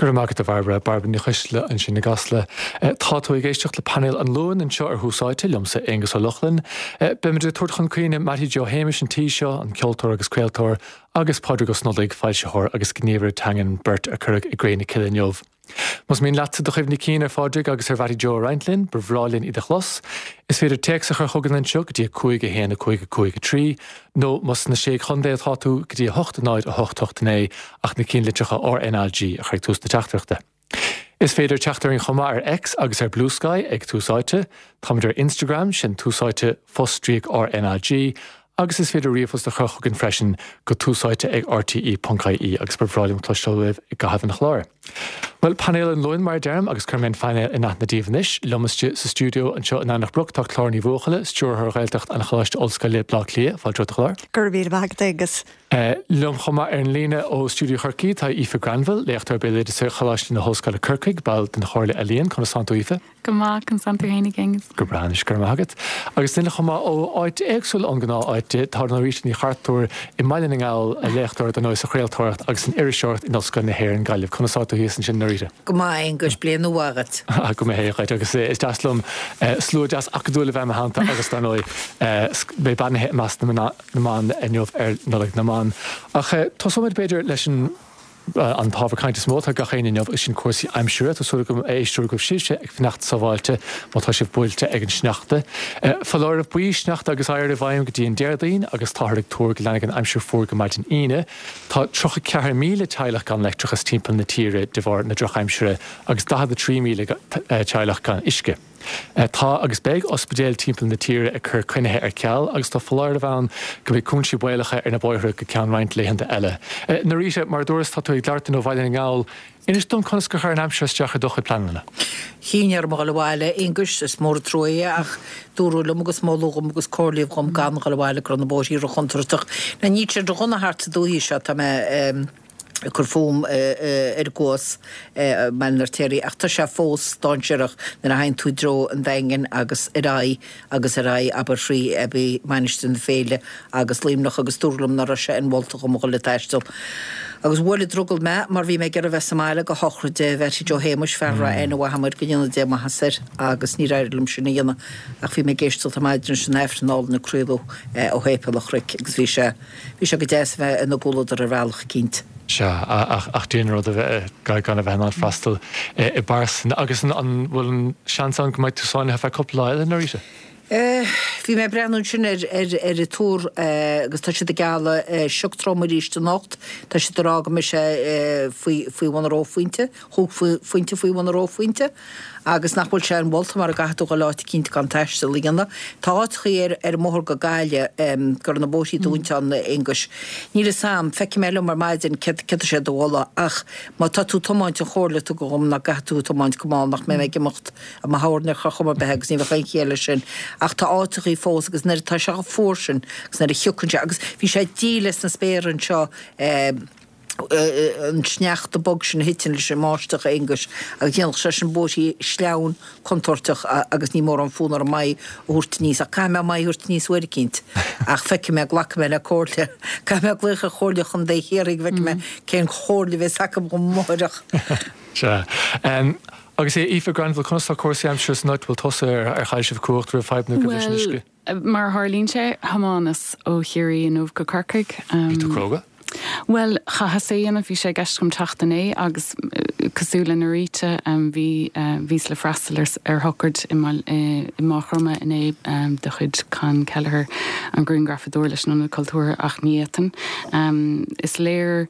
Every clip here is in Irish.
Go raibh maith agat a Bhairbre, Bairbre Ní Choisdealbha ansin i gCasla. Tá tú ag éisteacht le painéal an Luain anseo ar Thús Áite, liomsa Aonghus Ó Lochlainn. Beimid ag tabhairt chun cuimhne Mattie Joe Shéamais an tí seo, an ceoltóir agus craoltóir, agus Pádraig Ó Snodaigh, foilsitheoir agus gníomhaire teangan, beirt a cuireadh i gcré na cille inniu. Más mian leatsa do chuimhní cinn ar Phádraig agus ar Mhattie Joe a roinnt linn, ba bhreá linn iad a chlos. Is féidir téacs a chur chugainn anseo go dtí 5 1 5 5 3, nó más sna Sé Chontae atá tú, go dtí 8 0 8 8 9, ach na cinnlitreacha RNAG a chur ag tús na teachtaireachta. Is féidir teacht orainn chomh maith ar X agus ar Bluesky ag Tús Áite. Táimid ar Instagram, sin Tús Áite fostríoc RNAG, agus is féidir ríomhphost a chur chugainn freisin go túsáite ag rte.ie agus ba bhreá liom cloisteáil uaibh i gcaitheamh an chláir. Bhuel, painéal an Luain mar a deirim agus cuirfidh mé an painéal in aithne daoibh anois. Liom istigh sa stiúideo anseo in Eanach Broc tá Clár Ní Bhuachalla, Stiúrthóir Ghaeltacht an Choláiste Ollscoile, Baile Átha Cliath. Fáilte romhat a Chlár. Go raibh míle maith agat, Aonghus. Liom chomh maith ar an líne ó stiúideo Chorcaí tá Aoife Granville, léachtóir béaloideasa Choláiste na hOllscoile Corcaigh, ball den Chomhairle Ealaíon. Conas tánn tú, Aoife? Go maith, conas tánn tú fhéin a Aonghuis? Go breá anois, go raibh maith agat. Agus duine chomh maith ó áit éagsúil ón gnáth áit, tá Norita Ní Chartúir i mBaile na nGall, léachtóir dar ndóigh sa chraoltóireacht agus san iriseoireacht in Ollscoil na hÉireann, Gaillimh. Conas tá tú thíos ansin, Norita? Go maith, a Aonghuis, bliain nua mhaith dhuit. Go mba hé dhuit, agus is deas liom slua deas acadúil a bheith i mo theannta agus dar ndóigh mé beannaithe i measc na mban inniu ar Nollaig na mBan. Ach tosóimid b'fhéidir leis an. An t-ábhar cainte is mó atá ag gach éinne inniu, sin cúrsaí aimsire. Tá súil agam, a éisteoirí, go bhfuil sibhse ag fanacht sábháilte má tá sibh buailte ag an sneachta. Foláireamh buí sneachta agus oighir i bhfeidhm go dtí an Déardaoin agus táthar ag tuar go leanfaidh an aimsir fuar go maidin Aoine. Tá 34,000 teaghlach gan leictreachas timpeall na tíre de bharr na drochaimsire agus 43,000 teaghlach gan uisce. Tá agus beidh ospidéil timpeall na tíre ag cur coinnithe ar ceal agus tá foláireamh ann go mbeidh cúinsí baolacha ar na bóithre go ceann roinnt laethanta eile. Norita, mar a dúras, tá tú ag labhairt linn ó Bhaile na nGall. Inis dom conas gur chuir an aimsir isteach ar do chuid pleananna? Chinn orm a dhul abhaile, a Aonghuis, is mór an trua é ach dúradh liom agus moladh dhom agus comhairlíodh dhom gan dhul abhaile go raibh na bóithrí ro-chontúirteach. Now níl sé ro-dhona thart sa dúthaigh seo, tá mé. ag cur fúm ar an gCuas i mBaile an Fheirtéaraigh ach tá sé fós dainséarach nuair a thagann tú i dtreo an Daingin agus ar aghaidh agus ar aghaidh abair thrí Abbey, Mainistir na Féile agus Luimneach agus dúradh liom ná raibh sé inmholta dhom a dhul ag taisteal. Agus bhuail an drogall mé mar bhí mé ag iarraidh bheith sa mbaile go shochraid Mhattie Joe Shéamuis, fear a raibh aithne mhaith agam air, go ndéana Dia maitheas air agus níor éirigh liom sin a dhéanamh ach bhí mé ag éisteacht ar maidin leis an Aifreann álainn a craoladh ó Shéipéal an Chnoic agus bhí sé Bhí sé go deas a bheith ina gcomhluadar ar bhealach eicínt. Sea, ach dian an rud a bheith gan a bheith in ann freastal i bpearsan. Agus an bhfuil an seans ann go mbeidh tú sáinnithe feadh cúpla lá eile, Norita? Bhí mé ag breathnú ansin ar ar an tuar agus tá siad ag gealladh sioc trom arís anocht. Tá siad ag rá go mbeidh sé faoi faoi bhun an reophointe, chúig phointe faoi bhun an reophointe. Agus nach bhfuil sé inmholta mara gcaithfidh tú dhul áit eicínt gan taisteal a dhéanamh. Tá áiteachaí ar ar an mbóthar go Gaillimh go raibh na bóithrí dúinte ann, a Aonghuis. Níl fhios a'm, feicfidh mé liom ar maidin céard céard tá siad a mholadh ach má tá tú ag tiomáint an chomhairle a tugadh dhom ná go gcaithfidh tú tiomáint go mall nach mbeidh mé ag imeacht i mo thoghroinn ar chor chuma ar bith agus ní bheadh aon chiall leis sin. Ach tá áiteachaí fós agus nuair atá sé chomh fuar sin agus nuair a shiocann sé agus bhí sé díle sna spéartha anseo eh, an sneachta bog sin a thiteann leis an mbáisteach, a Aonghuis, agus dhéanfadh sé sin bóithrí sleamhain contúirteach agus ní mórán fonn orm m'aghaidh a thabhairt aníos, ach caithfidh mé m'aghaidh a thabhairt aníos uair eicínt. Ach feicfidh mé, glacfaidh mé le comhairle. Caithfidh mé glaoch ar Chomhairle Chontae Chiarraí go bhfeicfidh mé cén chomhairle a bheas acu dhom amáireach. Sea. Agus a Aoife Granville, conas tá cúrsaí aimsire san áit a bhfuil tusa? Ar chaill sibh cumhacht raibh fadhbanna agaibh leis an uisce? Mar a tharlaíonn sé, thiomáineas ó Chiarraí inniu go Corcaigh. Bhí tú cróga? Bhuel, chaitheas é a dhéanamh, bhí sé i gceist agam teacht inné agus cosúil le Norita, bhí, bhíos le freastal ar, ar shocraid i mBaile, i Maigh Chromtha inné de chuid Con Kelleher, an grianghrafadóir leis an Ionad Cultúrtha ach ní fhéadfainn. Is léir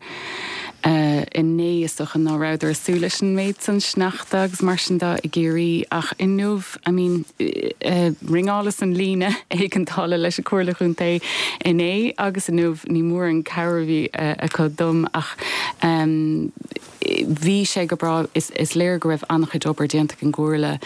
inné is dócha ná rabhadar ag súil leis an méid san sneachta agus mar sin de i gCiarraí ach inniu, I mean, ringeálas an líne éigeandála leis an Comhairle Chontae inné agus inniu, ní mór an cabhair a bhí acu dom ach bhí sé go breá, is léir go raibh an-chuid obair déanta ag an gComhairle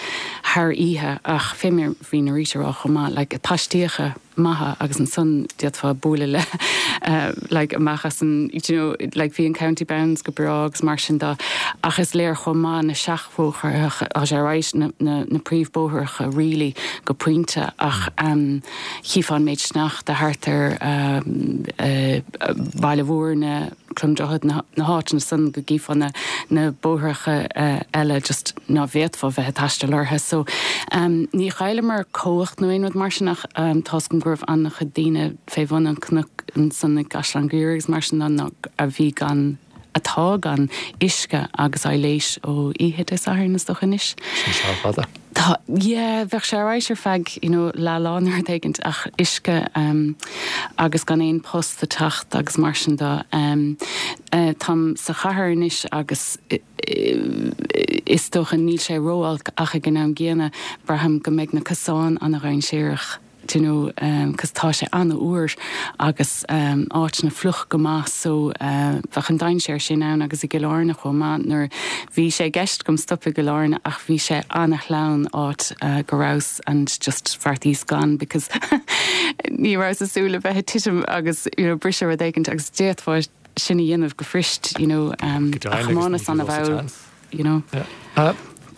thar oíche ach fé mar bhí Norita a rá chomh maith, like paistíocha maithe agus ansan d'fhéadfá bualadh le like amach as an do you know like bhí an County Bounds go breá agus mar sin de ach is léir chomh maith na seachbhóithreacha tá sé right na na na príomhbhóithreacha really go pointe ach um chífeá an méid sneachta thart ar um uh Baile Mhúirne. Crom Droichead, na háiteanna san go gcífeá na na bóithreacha eile just ná bhféadfá bheith ag taisteal orthu. So ní chailleamar cumhacht nó aon rud mar sin ach tá's agam go raibh an-chuid daoine fé bhun an chnoic ansan i gCaisleán Ghriaire agus mar sin de a bhí gan atá gan uisce agus aibhléis ó oíche Dé Sathairn is dócha anois. Sin seal fada. Tá, yeah, bheadh sé ar aghaidh ar feadh, you know, leath lá nó rud éigint ach uisce agus gan aon post ag teacht agus mar sin de. Táim sa chathair anois agus is dócha níl sé ró-olc ach ag an am gcéanna braithim go mbeidh na cosáin ana-dhainséarach. do you know, cos tá sé an-fhuar agus áiteanna fliuch go maith so bheadh an dainséar sin ann agus i gCill Airne chomh maith nuair bhí sé i gceist agam stop i gCill Airne ach bhí sé ana-shleamhain áit go rabhas and just bheartaíos gan because ní rabhas ag súil le bheith ag titim agus you know briseadh rud éigint agus d'fhéadfá sin a dhéanamh go fuirist you know a thiománas ana-mhall you know.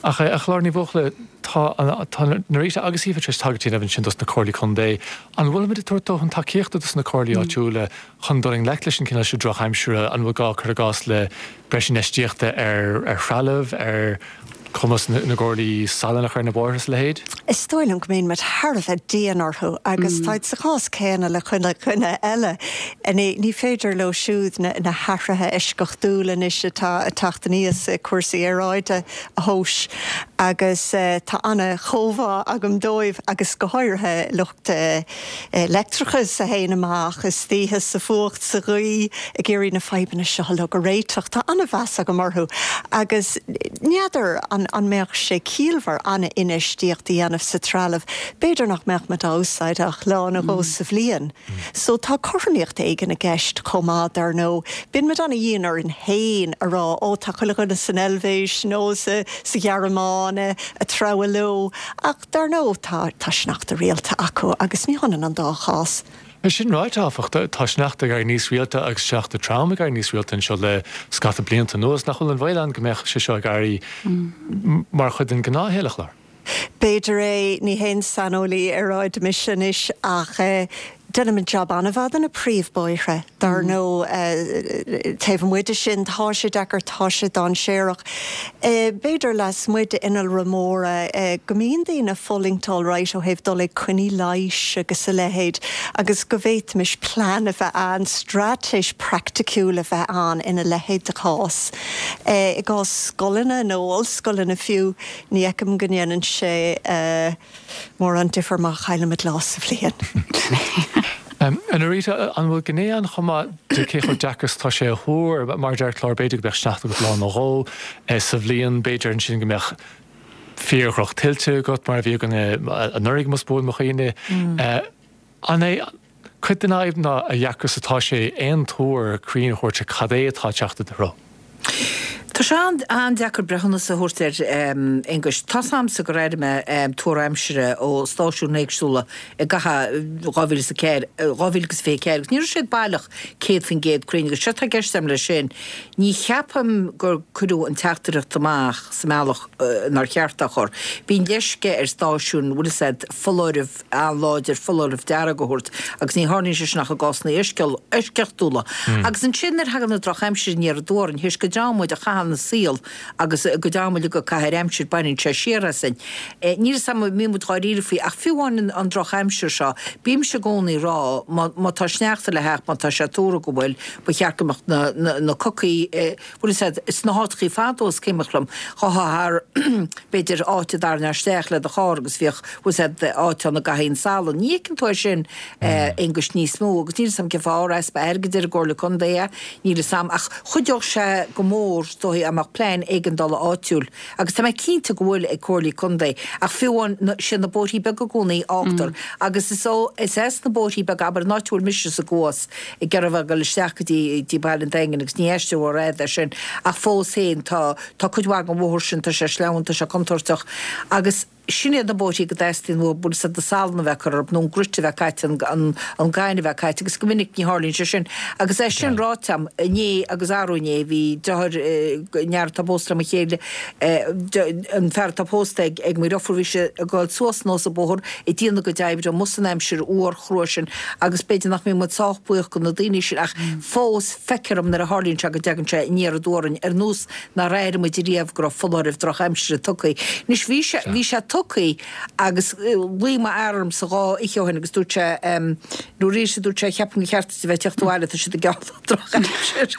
Ach a Chlár Ní Bhuachalla, tá tá Norita agus Aoife tar éis tagairt a dhéanamh ansin dos na comhairlí contae. An bhfuilimid ag tabhairt dóthain tacaíochta dos na comhairlí áitiúla chun dul i ngleic leis an cineál seo drochaimsire? An bhfuil gá, cuir i gcás, le breis infheistíochta ar ar threalamh, ar chumas na gcomhairlí salann a chur ar na bóithre is a leithéid? Is dóigh liom go mbíonn muid thar a bheith dian orthu agus táid sa chás céanna le chuile dhuine eile. Ní féidir leo siúd na hathruithe eisceachtúla anois atá ag teacht aníos i cúrsaí aeráide a thomhas agus tá ana-chomhbhá agam dóibh agus go háirithe lucht leictreachais a théann amach istoíche sa bhfuacht, sa ghaoth ag iarraidh na fadhbanna seo uilig a réiteach. Tá ana-mheas agam orthu agus n'fheadar an mbeadh sé ciallmhar ana-infheistíocht a dhéanamh sa trealamh. B'fhéidir nach mbeadh muid á úsáid ach lá nó dhó sa bhliain. So tá cothromaíocht éigin i gceist chomh maith, dar ndóigh. Bíonn muid ana-dhian orainn féin a rá, ó tá chuile dhuine san Eilvéis nó sa Ghearmáin ag treabhadh leo. Ach dar ndóigh tá tá sneachta rialta acu agus ní hionann an dá chás. É sin ráite, áfach, tá sneachta ag éirí níos rialta agus sneachta trom ag éirí níos rialta anseo le scata blianta anuas. Nach bhfuil an baol ann go mbeadh sé seo ag éirí mar chuid den ghnáthshaol, a Chlár? B'fhéidir é, ní haon saineolaí aeráide mise anois ach déanaimid jab an-mhaith de na príomhbóithre, dar ndóigh. Taobh amuigh de sin, tá sé deacair, tá sé dainséarach. B'fhéidir lasmuigh d'innealra móra go mbíonn daoine ag fulaingt alright ó thaobh dul ag coinní leighis agus a leithéid agus go bhféadfaimis plean a bheith ann, straitéis praiticiúil a bheith ann ina leithéid de chás. I gcás scoileanna nó ollscoileanna fiú, Ní fheicim go ndéanann sé mórán difir má chaillimid lá sa bhliain. A Norita, an bhfuil gné ann chomh maith de cé chomh deacair is atá sé a thuar? Mar a deir Clár, b'fhéidir go mbeadh sneachta agat lá nó dhó sa bhliain, b'fhéidir ansin go mbeadh fíor-dhroch-tuilte agat mar a bhí againn anuraidh, más buan mo chuimhne. An é cuid den fhadhb ná a dheacra is atá sé aon tuar cruinn a thabhairt ar cad é atá ag teacht i do threo? Tá sé an-deacair breithiúnas a thabhairt air, Aonghuis. Tá's a'msa gur airigh mé tuar aimsire ó stáisiúin éagsúla i gcaitheamh 2004, 2024 agus ní raibh siad baileach 100% cruinn agus séard atá i gceist agam leis sin, ní cheapaim gur cuireadh an teachtaireacht amach sa mbealach inar cheart é a chur. Bíonn leisce ar stáisiúin, bhfuil 'fhios a'd, foláireamh an-láidir foláireamh dearg a thabhairt agus ní tharlaíonn sé sin ach i gcásanna eisceachtúla. Agus ansin nuair a thagann an drochaimsir aniar aduaidh orainn, théis go dteann muid a chaitheamh ina saol agus go dteann muid ag caitheamh ar aimsir, baineann sé siar asainn. Níl 'fhios a'm an mbíonn muid dháiríre faoi ach fiú amháin an drochaimsir seo, bímse i gcónaí ag rá má tá sneachta le theacht, má tá sé tuartha go bhfuil, ba cheart go mbeadh na cocaí, Bhfuil 'fhios a'd, sna háiteachaí fadó is cuimhin liom, ghabhfá thar, b'fhéidir, áit a dtarraingeá isteach le do charr agus bhíodh, bhfuil 'fhios a'd, áit ann a gcaithfí an salann. Ní fheiceann tú é sin, a Aonghuis, níos mó agus níl 'fhios a'm cén fáth, ar easpa airgid ar an gComhairle Contae é, níl 'fhios a'm, ach chuideodh sé go mór, is dóigh, dá mbeadh plean éigeandála áitiúil agus tá mé cinnte go bhfuil ag comhairlí contae ach fiú amháin, siad na bóithrí beaga i gcónaí a fhágtar agus is ó, is as na bóithrí beaga, abair an áit a bhfuil mise sa gCuas, ag iarraidh a bheith ag dul isteach go dtí dtí Baile an Daingin agus ní aistear rófhada é sin ach fós féin tá tá cuid mhaith den bhóthar sin tá sé sleamhain tá sé contúirteach agus. Sin iad na bóithrí go dteastaíonn uathu bhfuil fhios a'd an salann a bheith curtha orthu nó an grit a bheith caite, an gaineamh a bheith caite agus go minic ní tharlaíonn sé sin. Agus é sin ráite a'm, inné agus arú inné bhí deartháir, an fear atá pósta le mo chéile, an fear atá pósta ag mo dheirfiúr, bhí sé ag gabháil suas anuas an bóthar ag déanamh a gcuid oibre amuigh san aimsir fhuar chrua sin agus b'fhéidir nach mbíonn muid sách buíoch go na daoine sin ach fós feictear dom nuair a tharlaíonn sé go dtagann sé aniar aduaidh orainn ar nós nár airigh muid riamh go raibh foláireamh drochaimsire tugtha. Anois bhí sé, bhí sé tugtha agus ghlaoigh m'fhear ormsa dhá oíche ó shin agus dúirt sé, nó arís a dúirt sé, cheapfainn gur cheart duit a bheith ag teacht abhaile, tá siad ag gealladh drochaimsir.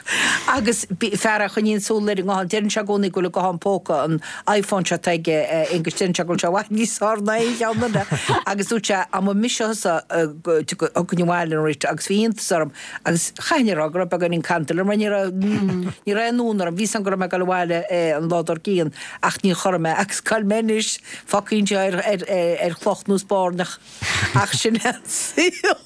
Agus fear a choinníonn súil ar an nguthán, deireann sé i gcónaí go bhfuil an guthán póca, an iPhone seo atá aige, Aonghus, deireann sé go bhfuil sé i bhfad níos fearr ná aon cheann eile. Agus dúirt sé, dá mba mise thusa, thiocfainn abhaile anocht agus bhí iontas orm Agus chaithfinn a rá go raibh beagáinín cantail orm mar ní raibh, ní raibh aon fhonn orm. Bhí 'fhios a'm go raibh mé ag dul abhaile an lá dár gcionn ach ní chor mé agus cá bhfuil mé anois, fágtha anseo ar, ar, ar chloch nós bairneach. Ach sin é an saol.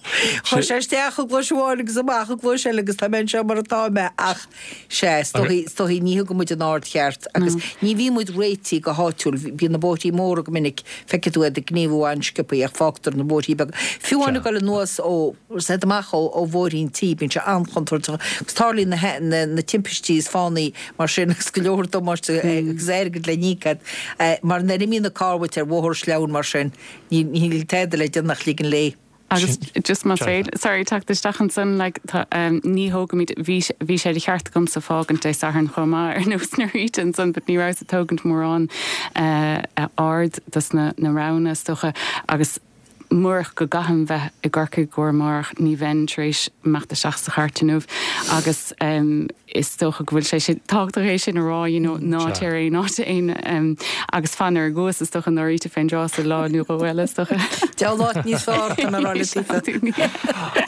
Chuaigh sé isteach i gcluais amháin agus amach i gcluais eile agus tá mé anseo mar atá mé ach sea, is dóichí, is dóichí ní thugann muid an aird cheart agus ní bhíonn muid réitithe go háitiúil. Bíonn na bóithrí móra go minic, feicfidh tú iad ag gníomhú an-sciobthaí ach fágtar na bóithrí beaga. Fiú amháin ag dul anuas ó. Is amach ó bhóithrín tí, bíonn sé an-chontúirteach agus tarlaíonn na na timpistí is fánaí mar sin agus go leor damáiste agus airgead le n-íoc agat mar nuair a imíonn an carr uait ar bhóthar sleamhain mar sin níl tada le déanamh ach ligean léi. Agus just más féidir, sorry, teacht isteach ansan, like, tá, ní thógaimid, bhí, bhí sé de cheart agamsa fágaint Dé Sathairn chomh maith ar nós Norita ansan but ní rabhas ag tógaint mórán aird dos na na rabhanna is dócha agus Murach go gcaithim bheith i gCorcaigh i gcomhair amárach ní bheinn tar éis imeacht isteach sa chairt inniu agus is dócha go bhfuil sé sin tábhachtach é sin a rá you know ná téir aon áit aon agus fan ar an gCuas is dócha Norita fén dtráth sa lá nó dhó eile is dócha. Diabhal áit níos fearr tá mé ag rá leat Aoife.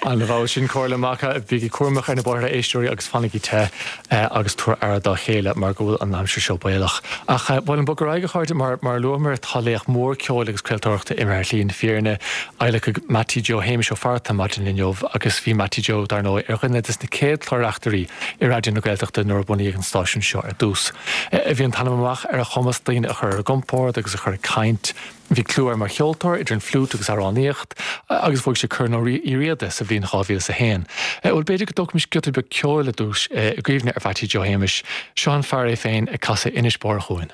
An-mhaith sin comhairle maith. Bígí cúramach ar na bóithre a éisteoirí agus fanaigí te. agus tabhair aire dá chéile mar go bhfuil an aimsir seo baolach. Ach ba mhaith liom bogadh ar aghaidh, a chairde, mar, mar a luamar, tá laoch mór ceoil agus craoltóireachta imithe ar shlí na fírinne. Adhlacadh Mattie Joe Shéamais Ó Fatharta maidin inniu agus bhí Mattie Joe, dar ndóigh, ar dhuine des na céad clár-reachtairí i Raidió na Gaeltachta nuair a bunaíodh an stáisiún seo ar dtús. Bhí an t-ainm amach ar a chumas daoine a chur ar a gcompord agus a chur ag caint. Bhí clú air mar cheoltóir, idir an fliúit agus amhránaíocht, agus bhuaigh sé Corn Uí Riada sa bhliain 2001. Bhuel, b'fhéidir go dtógfaimis giota beag ceoil ar dtús i gcuimhne ar Mhattie Joe Shéamais. Seo an fear é féin ag casadh Inis Barr a' Chuain.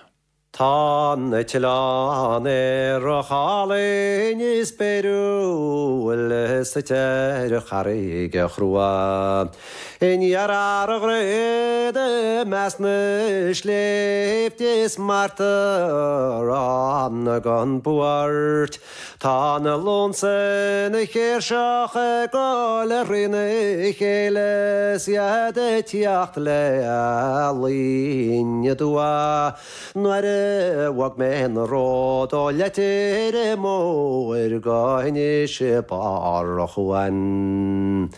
Tá an t-oileán aerach álainn is spéiriúil suite ar charraig chrua. In iarthar an Droichid i measc na sléibhte is mairtear ann gan buairt. Tá na lúnsa ina chéirseach ag gol thrína chéile 's iad ag tíocht le luí aduaidh. Nuair a bhog mé an ród ó Leitir Móir go hInis Barr a' Chuain.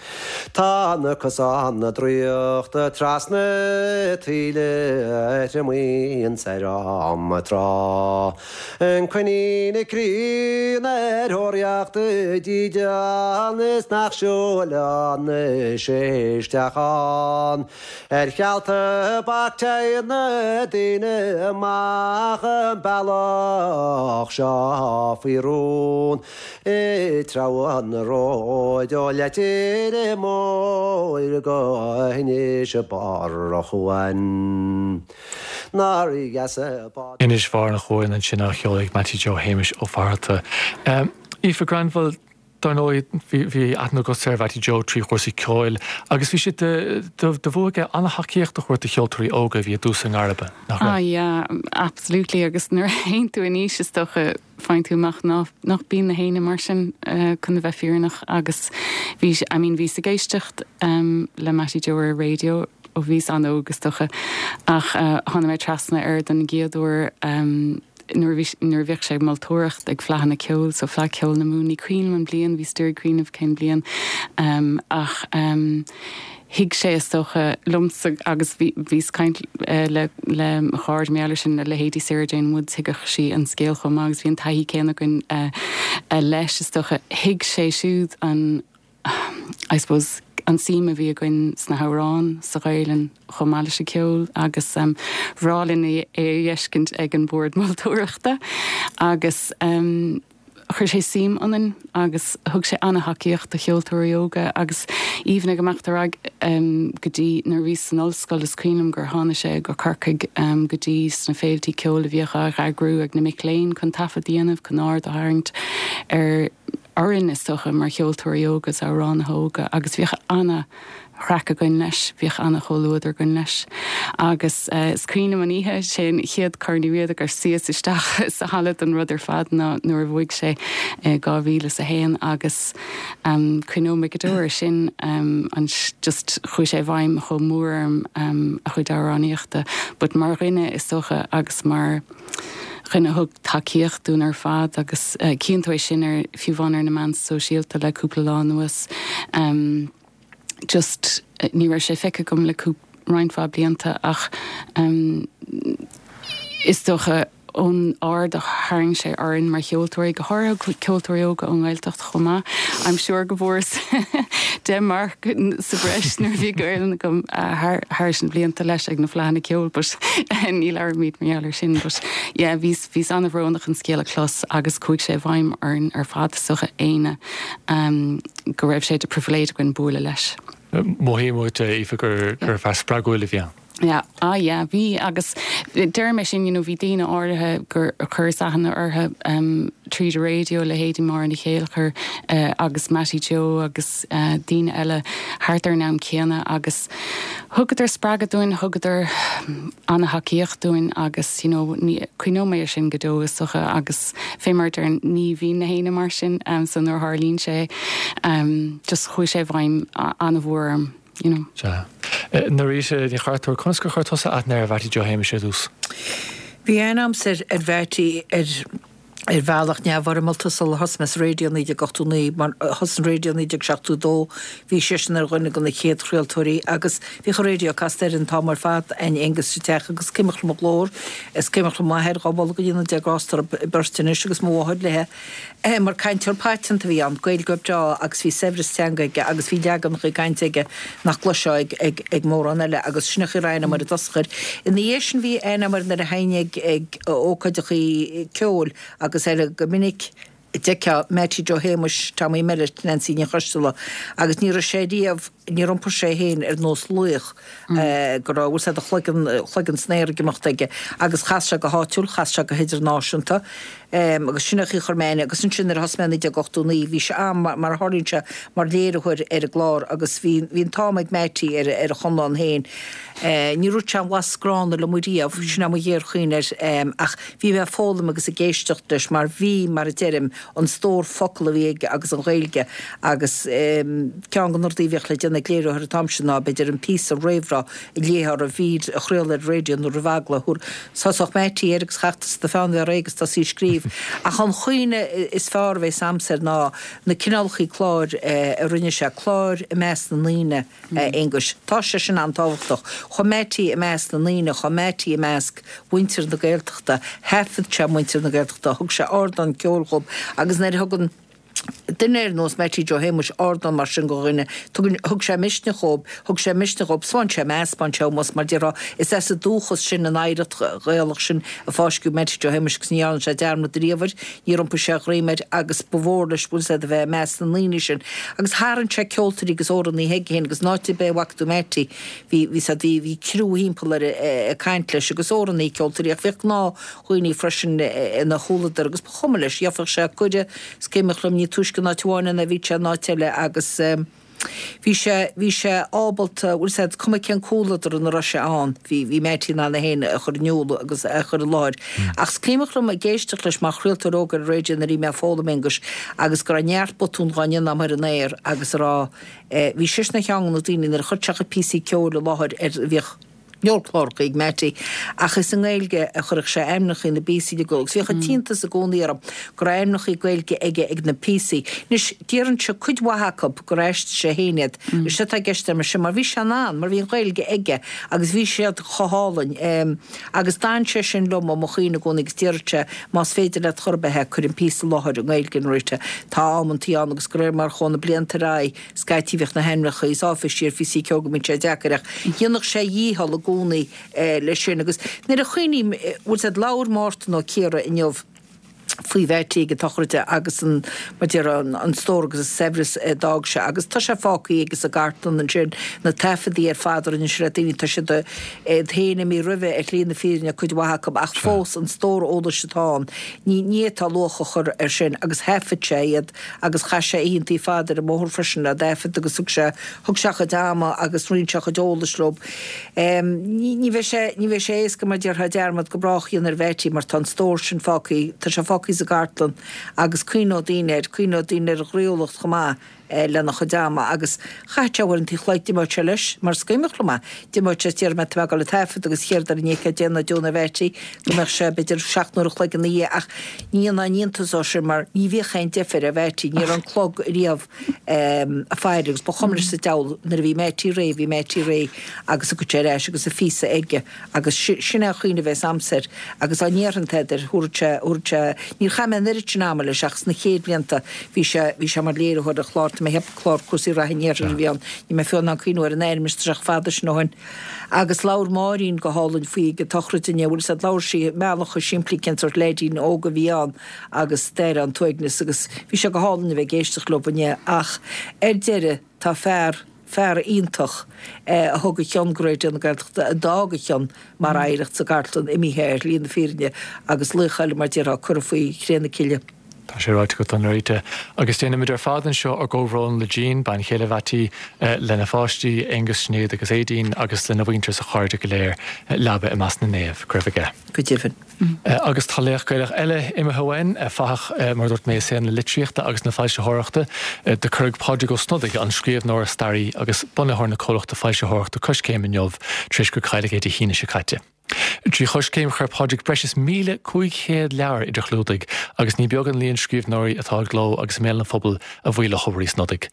Tá na cosáin draíochta trasna taoille a thriomaíonn ar an trá. An coinín críonna ar thóraíocht dídean is nach siúlann sé isteach ann. Ar cheal tobac téann na daoine amach an bealach seo faoi rún. Ag treabhadh an róid ó Leitir Móir go hInis Barr a' Chuain. Nár dheas an bád. Inis Bharr an Chuain ansin á cheol ag Mattie Joe Shéamais Ó Fatharta. Aoife Granville, Dar ndóigh, bhí aithne agatsa ar Mhattie Joe trí chúrsaí ceoil agus bhí sé de bhua aige an-tacaíocht a thabhairt do cheoltóirí óga a bhí i dtús a ngairme, nach raibh? Ah yeah, absolutely agus nuair a théann tú in aois is dócha faigheann tú amach nach bíonn na héinne mar sin chun a bheith fírinneach agus bhí, I mean bhíos ag éisteacht le Mattie Joe ar an raidió ó bhíos an-óg is dócha ach tháinig mé trasna air don gcéad uair nuair a bhí, nuair a bhíodh sé ag moltóireacht ag Fleadhanna Ceoil, so Fleadh Ceoil na Mumhan, ní cuimhin liom an bliain, bhíos d'iarraidh cuimhneamh cén bliain, ach thuig sé is dócha liomsa agus bhí, bhíos caint le, le mo chairde mar gheall air sin, le leithéidí Sarah Jane Woods, thuigeadh sí an scéal chomh maith agus bhí an taithí céanna againn leis is dócha, thuig sé siúd an, I suppose. an suim a bhí againn sna hamhráin, sa Ghaelainn chomh maith leis an ceol agus bhreá linn é a fheiscint ag an bord moltóireachta agus chuir sé suim ionainn agus thug sé an-tacaíocht do cheoltóirí óga agus even ag imeacht ar aghaidh go dtí nuair a bhíos san ollscoil is cuimhin liom gur tháinig sé go Corcaigh go dtí sna féiltí ceoil a bhíodh á eagrú ag na mic léinn chun taifead a dhéanamh chun aird a tharraingt ar orainn is dócha mar cheoltóirí óga is amhránaithe óga agus bhíodh ana chraic againn leis, bhíodh ana chomhluadar againn leis. Agus is cuimhin liom an oíche, sé an chéad Corn Uí Riada gur suíos isteach sa halla don rud ar fad ná nuair a bhuaigh sé i 2001 agus cuimhneoidh mé go deo air sin, an just chuaigh sé i bhfeidhm chomh mór orm a chuid amhránaíochta but mar dhuine is dócha agus mar dhuine a thug tacaíocht dúinn ar fad agus cíonn tú é sin ar, fiú amháin ar na meáin sóisialta le cúpla lá anuas. Just ní raibh sé feicthe agam le cúpla, roinnt mhaith blianta ach is dócha ón aird a tharraing sé orainn mar cheoltóirí, go háirithe ceoltóirí óga ón nGaeltacht chomh maith. I'm sure go bhfuaireas 10 marc sa bhreis nuair a bhí Gaelainn agam thairis na blianta leis ag na Fleadhanna Ceoil but ní labhraímid mar gheall air sin but yeah bhíos bhíos an-bhrónach an scéal a chlos agus chuaigh sé i bhfeidhm orainn ar fad is dócha éinne go raibh sé de pribhléid againn bualadh leis. Mothaím uait, Aoife, gur fear spreagúil a bhí ann. Yeah, ah yeah, bhí agus deirim é sin, you know, bhí daoine áirithe gur chuireas aithne orthu tríd an raidió, leithéidí Máire Ní Chéilleachair agus Mattie Joe agus daoine eile thart ar an am céanna agus thugadar spreagadh dúinn, thugadar an-thacaíocht dúinn agus, you know, ní, cuimhneoidh mé air sin go deo is dócha agus fé mar a deirim, ní bhíonn na héinne mar sin so nuair a tharlaíonn sé just chuaigh sé i bhfeidhm an-mhór orm. you know. Sea. Norita Ní Chartúir, conas gur chuir tusa aithne ar Mhattie Joe Shéamais ar dtús? Bhí aithne a'msa ar Mhattie ar ar bhealach neamhfhoirmeálta sular thosaigh mé sa raidió i 1989, mar thosaigh an raidió i 1972, bhí seisean ar dhuine de na chéad chraoltóirí agus bhíodh an raidió casta air an t-am ar fad a'inn Aengus sa teach agus cuimhneach liom a ghlór, is cuimhneach liom m'athair, dhá mholadh go ndéana Dia grásta orthu beirt anois agus mo mháthair léithe. Mar cainteoir paiteanta a bhí ann, Gaeilgeoir breá agus bhí saibhreas teanga aige agus bhí leaganacha cainte aige nach gcloisfeá ag mórán eile agus sin an chaoi a raibh aithne a'm air i dtosach air. Ina dhiaidh sin bhí aithne a'm air nuair a théinn ag ag ócáideachaí ceoil agus eile go minic d'fheicfeá Mattie Joe Shéamuis, Tommy Mellett, Nancy Ní Choisteala agus ní raibh sé riamh, níor iompair sé féin ar nós laoch go raibh, bhfuil 's a'd, a chloigeann, chloigeann san aer ag imeacht aige agus chas sé go háitiúil, chas sé go hidirnáisiúnta. Agus sin é an chaoi a chuir mé aithne. Agus ansin nuair a thosaigh mé i 1989 bhí sé a'm, mar a tharlaíonn sé, mar léiritheoir ar an gclár agus bhí, bhí an t-am ag Mattie ar, ar a chonlán féin. Níor dhúirt sé aon bhlas gránna liom riamh, sin é mo ghéarchuimhne air, ach bhí mé ag foghlaim agus ag éisteacht leis mar bhí, mar a deirim, an stór focal a bhí aige agus an Ghaeilge agus ceann de na rudaí a bhíodh le déanamh ag léiritheoir an t-am sin ná b'fhéidir an píosa réamhrá a léifeá roimh mhír a chraoladh ar an raidió nó roimh agallamh. Thosódh Mattie air agus chaithfeadh tusa do pheann a bheith réidh agus tosaí ag scríobh. Ach an chuimhne is fearr a bhéas a'msa air ná na cineálachaí cláir a rinne sé, cláir i measc na ndaoine, a Aonghuis. Tá sé sin an-tábhachtach. Chuaigh Mattie i measc na ndaoine, chuaigh Mattie i measc mhuintir na Gaeltachta, thaifead sé muintir na Gaeltachta, thug sé ardán ceoil dhób agus nuair a thugann duine ar nós Mattie Joe Shéamuis ardán mar sin go dhuine, tugann, thug sé misneach dhób, thug sé misneach dhób, 'spáin sé meas, 'spáin sé ómós mar déarfá, is as an dúchas sin, an oidhreacht Ghaelach sin a fáisceadh Mattie Joe Shéamuis agus ní dhearna sé dearmad riamh air, níor iompaigh sé a dhroim air agus ba mhór leis, bhfuil 's a'd, a bheith i measc na ndaoine sin. Agus tharraing sé ceoltóirí agus amhránaithe chuige féin agus in áit ar bith a bhfaca tú Mattie, bhí, bhí 's a'd, bhí, bhí criú thimpeall air ag caint leis agus amhránaithe, ceoltóirí ach bhíodh gnáth dhaoine freisin ina chomhluadar agus ba chuma leis, gheobhadh sé cuireadh, is cuimhneach liom, ní túisce in áit amháin é ná bhí sé in áit eile agus bhí sé, bhí sé ábalta, bhfuil 's a'd, cuma cén comhluadar ina raibh sé ann, bhí, bhí Mattie in ann é féin a chur in iúl agus a chur i láthair. Ach is cuimhneach liom ag éisteacht leis mar chraoltóir óg ar an raidió nuair a bhí mé ag foghlaim, Aonghus, agus go raibh neart botún dhá ndéanamh a'm ar an aer agus a rá, bhí seisean ar cheann de na daoine nuair a chuir sé a chuid píosaí ceoil i láthair ar, bhíodh. Leor cláracha ag Mattie ach is i nGaeilge a chuirfeadh sé ainmneacha na bpíosaí i gcló agus bhíodh an t-iontas i gcónaí orm go raibh ainmneacha Gaeilge aige ag na píosaí. Anois, déarfainnse cuid mhaith acu gur aistrigh sé féin iad. Is é atá i gceist agam leis sin mar bhí sé in ann, mar bhí an Ghaeilge aige agus bhí siad chomh hálainn. Agus d'fhan sé sin liom i mo chuimhne i gcónaí agus déarfadh sé más féidir leat chor ar bith é, cuir an píosa i láthair i nGaeilge Norita. Tá am an tsaoil ann agus de réir mar a chuaigh na blianta ar aghaidh, Scaití bhíodh na hainmneacha is áiféisí ar phíosaí ceoil go mbíonn sé deacair ach dhéanfadh sé a dhícheall i gcónaí leis sin. Agus nuair a chuimhním, bhfuil 's a'd, labhair Mártan Ó Ciardha inniu faoi Mheaití ag an tsochraid agus an, mar déarfá, an stór agus an saibhreas a d'fhág sé agus tá sé fágtha aige sa gcartlann ansin, na taifeadaí ar fad a rinne sé le daoine, tá siad iad féin imithe roimhe ar shlí na fírinne cuid mhaith acu ach fós an stór eolais atá ann, ní fhéadfá luach a chur air sin agus thaifead sé iad. agus chaith sé oícheantaí fada ar an mbóthar freisin le taifead agus thug sé, thug sé a chuid ama agus roinn sé a chuid eolais leo. Ní, ní bheidh sé, ní bheidh sé éasca mar déarfá dearmad go brách a dhéanamh ar Mheaití mar tá an stór sin fágtha, tá sé fágtha sa gcartlann agus cuimhneoidh daoine air, cuimhneoidh daoine ar a ghroíúlacht chomh maith lena chuid ama agus chaith sé uaireanta an chloig, d'imeodh sé leis, mar is cuimhneach liom é, d'imeodh sé is déarfaidh mé tá mé ag dul ag taifead agus chéard ar an ndéidh céard déanamh deonadh ar Mheaití go mbeadh sé b'fhéidir 7 n-uair a chloig ina dhiaidh ach ní dhéanfá aon iontas dó sin mar ní bhíodh aon deifir ar Mheaití, ní raibh an clog riamh ag faire agus ba chuma leis sa diabhal nuair a bhí Meaití réidh, bhí Meaití réidh agus thiocfadh sé ar ais agus a phíosa aige agus sin é an chuimhne a bheas a'msa air agus dá ndéarfainn tada air thabharfadh sé, thabharfadh sé, níor chaith mé an oiread sin ama leis ach sna chéad bhlianta bhí sé, bhí sé mar léiritheoir ar chlár, tá mé ag ceapadh clár cúrsaí reatha an Iarthair a bhí ann, níl mé fiú in ann cuimhniú ar an ainm anois tá sé chomh fada sin ó shin. Agus labhair Máirín go hálainn faoi ag an tsochraid inné, bhfuil 'fhios a'd, labhair sí i mbealach chomh simplí cén sórt leaidín óg a bhí ann agus d'aire an t-uaigneas agus bhí sé go hálainn a bheith ag éisteacht leo inné ach ar deireadh tá fear, fear iontach a thug a chion go Raidió na Gaeltachta, a d'fhág a chion mar oidhreacht sa gcartlann imithe ar shlí na fírinne agus laoch eile mar déarfá curtha faoi chré na cille. Tá sé ráite agat, a Norita. Agus déanaimid ar fad anseo ár gcomhbhrón le Jean, bean chéile Mheaití, lena pháistí, Aonghus, Sinéad agus Aedín, agus lena mhuintir is a chairde go léir. Leaba i measc na naomh. Go raibh aige. Go deimhin. Agus tá laoch Gaelach eile imithe uainn, fathach, mar a dúirt mé, i saol na litríochta agus na foilsitheoireachta. Do cuireadh Pádraig Ó Snodaigh, an scríbhneoir, staraí agus bunaitheoir na comhlachta foilsitheoireachta Coiscéim inniu tar éis gur cailleadh é Dé hAoine seo caite. Trí Choiscéim chuir Pádraig breis is 1,500 leabhar idir chlúdaigh agus ní beag an líon scríbhneoirí atá i gcló agus i mbéal an phobail a bhuí le hobair Uí Snodaigh.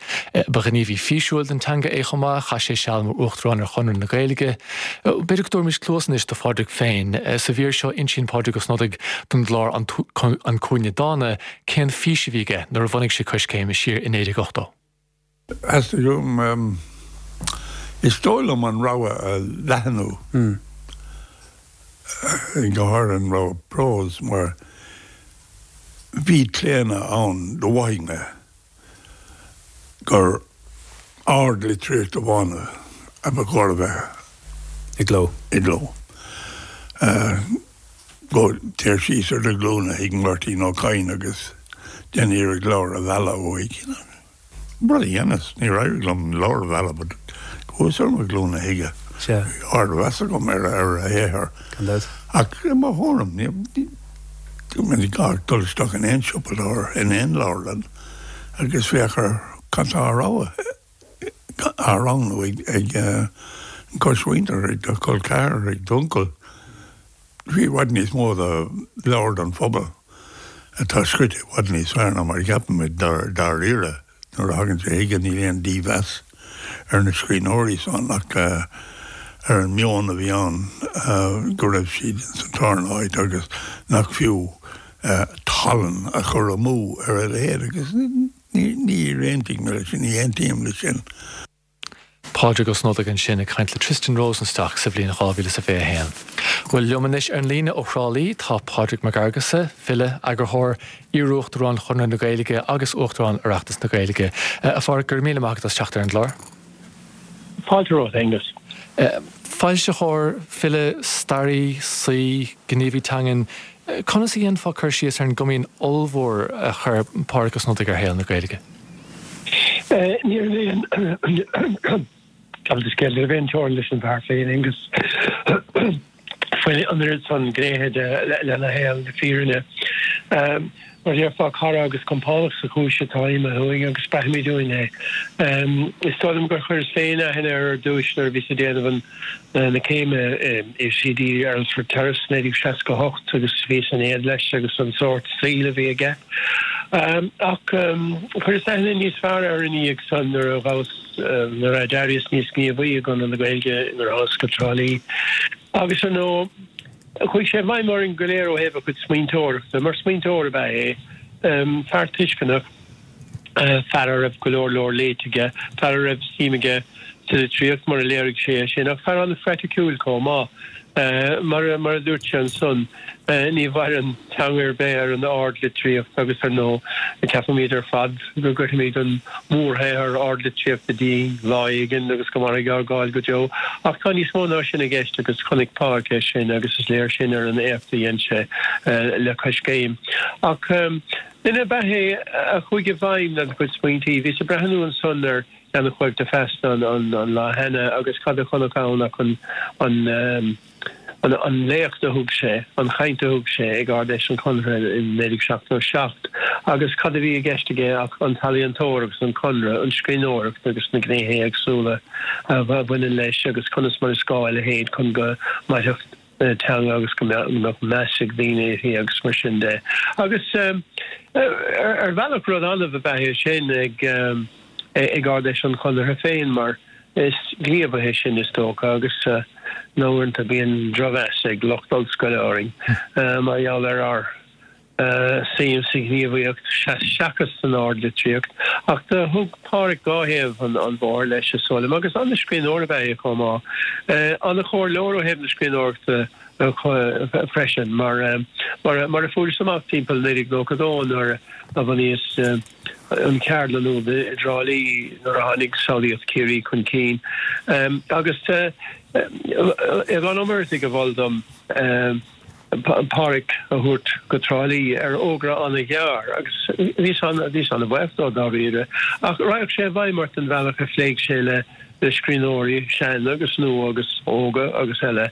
Ba ghníomhaí físiúil don teanga é chomh maith, chaith sé seal mar Uachtarán ar Chonradh na Gaeilge. B'fhéidir go dtabharfaimis cluas anois do Phádraig féin. Sa mhír seo insíonn Pádraig Ó Snodaigh don gclár An Cúinne Dána cén fís a bhí aige nuair a bhunaigh sé Coiscéim siar i 1980. Theastaigh uaim, is dóigh liom, an rogha a leathnú, go háirithe an rogha próis, mar bhí claonadh ann, do mhothaigh mé, gur ardlitríocht amháin a ba chóir a bheith i gcló. I gcló. Go, téir síos ar do ghlúine chuig Máirtín Ó Cadhain agus déan iarracht leabhar a mhealladh uaidh. Rud a dheineas, níor éirigh liom leabhar a mhealladh but chuas ar mo ghlúine chuige. Sea. Bhí ardmheas agam ar a shaothar. Gan dabht. Ach i mo thuairim, ní gá ach dul isteach in aon siopa leabhar, in aon leabharlann agus féach ar cad tá á rogha, á roghnú ag an gcosmhuintir, ag do chol ceathrar, ag d'uncail. Bhí i bhfad níos mó de leabhair don phobal atá scríte i bhfad níos fearr ná mar a cheapaimid dáiríre. Nuair a thagann sé chuige níl aon dímheas ar na scríbhneoirí san ach ar an meon a bhí ann go raibh siad ins an tarna háit agus nach fiú tallann a chur amú ar a leithéid agus níor aontaigh mé leis sin, ní aontaím leis sin. Pádraig Ó Snodaigh ansin ag caint le Tristan Rosenstock sa bhliain 2021. Bhuel, liom anois ar an líne ó Thrá Lí tá Pádraig Mac Fhearghusa, file, eagarthóir, iarUachtarán Chonradh na Gaeilge agus Uachtarán Oireachtas na Gaeilge. A Phádraig, go raibh míle maith agat as teacht ar an gclár. Fáilte romhat, Aengus. Foilsitheoir, file, staraí, saoi, gníomhaí teangan, conas a dhéanfá cur síos ar an gcomaoin ollmhór a chuir Pádraig Ó Snodaigh ar shaol na Gaeilge? Ní raibh aon Gabh mo leithscéal, ní raibh aon teorainn leis an bhfear féin, Aengus. Bhain an oiread san gnéithe de lena shaol, le fírinne. Mar a déarfá, cara agus compánach sa chúis atá imithe uainn agus braithimid uainn é. Is dóigh liom gur chuireas féin aithne air ar dtúis nuair a bhíos ag déanamh an na céime i UCD Earlsfort Terrace 1968 agus bhíos in éad leis agus an sórt saoil a bhí aige. Ach chuireas aithne níos fearr air ina dhiaidh san nuair a ghabhas, nuair a d'éiríos níos gníomhaí i gConradh na Gaeilge nuair a thánas go Trá Lí. Agus ar ndóigh, Chuaigh sé i bhfeidhm orainn go léir ó thaobh a chuid smaointeoireachta. Mar smaointeoir ab ea é, fear tuisceanach, fear a raibh go leor leor léite aige, fear a raibh suim aige sa litríocht, mar a léirigh sé é sin, ach fear an-phraiticiúil chomh maith. Mar a dúirt sé ansan, ní mhaireann teanga ar bith ar an ardlitríocht agus, ar ndóigh, ceapaimid ar fad go gcuirfimid an mórshaothar ardlitríochta dínn lá éigin agus go mairfidh ár gcáil go deo. Ach tá níos mó ná sin i gceist agus chonaic Pádraic é sin agus is léir sin ar an éacht a dhein sé le Coiscéim. Ach duine ab ea é a chuaigh i bhfeidhm lena chuid smaointí. Bhíos ag breathnú ansan ar cheannach de Feasta an lá cheana agus cad a chonac ann ach an an léacht a thug sé, an chaint a thug sé ag Ard-Fheis an Chonartha in 1977 agus cad a bhí i gceist aige ach an t-ealaíontóir agus an Conradh, an scríbhneoireacht agus na gnéithe éagsúla a bhaineann leis agus conas mar is gá a leithéid chun go mairfeadh teanga agus go mbeadh meas ag daoine uirthi agus mar sin de. Agus ar bhealach rud annamh ab ea é sin ag ag Ard-Fheis an Chonartha féin mar is gníomhaithe sinn is dócha agus uaireanta bíonn drochmheas ag lucht ollscoile orainn mar gheall ar ár suim sa ghníomhaíocht seachas san ardlitríocht. Ach do thug Pádhraic dhá thaobh an bhóthair leis is dóigh liom agus an-scríbhneoir ab ea é chomh maith. An-chomhairleoir ó thaobh na scríbhneoireachta freisin mar mar a fuaireas amach timpeall 1992 nuair a bhunaíos an cheardlann úd i dTrá Lí nuair a tháinig Samhlaíocht Chiarraí chun cinn. Agus Aodhán Ó Muireadhaigh a mhol dom Pádhraic a thabhairt go Trá Lí ar fhógra an-ghearr agus bhíos an-bhuíoch dó dáiríre. Ach raghadh sé i bhfeidhm ort an bhealach a phléigh sé le le scríbhneoirí sean agus nua agus óga agus eile.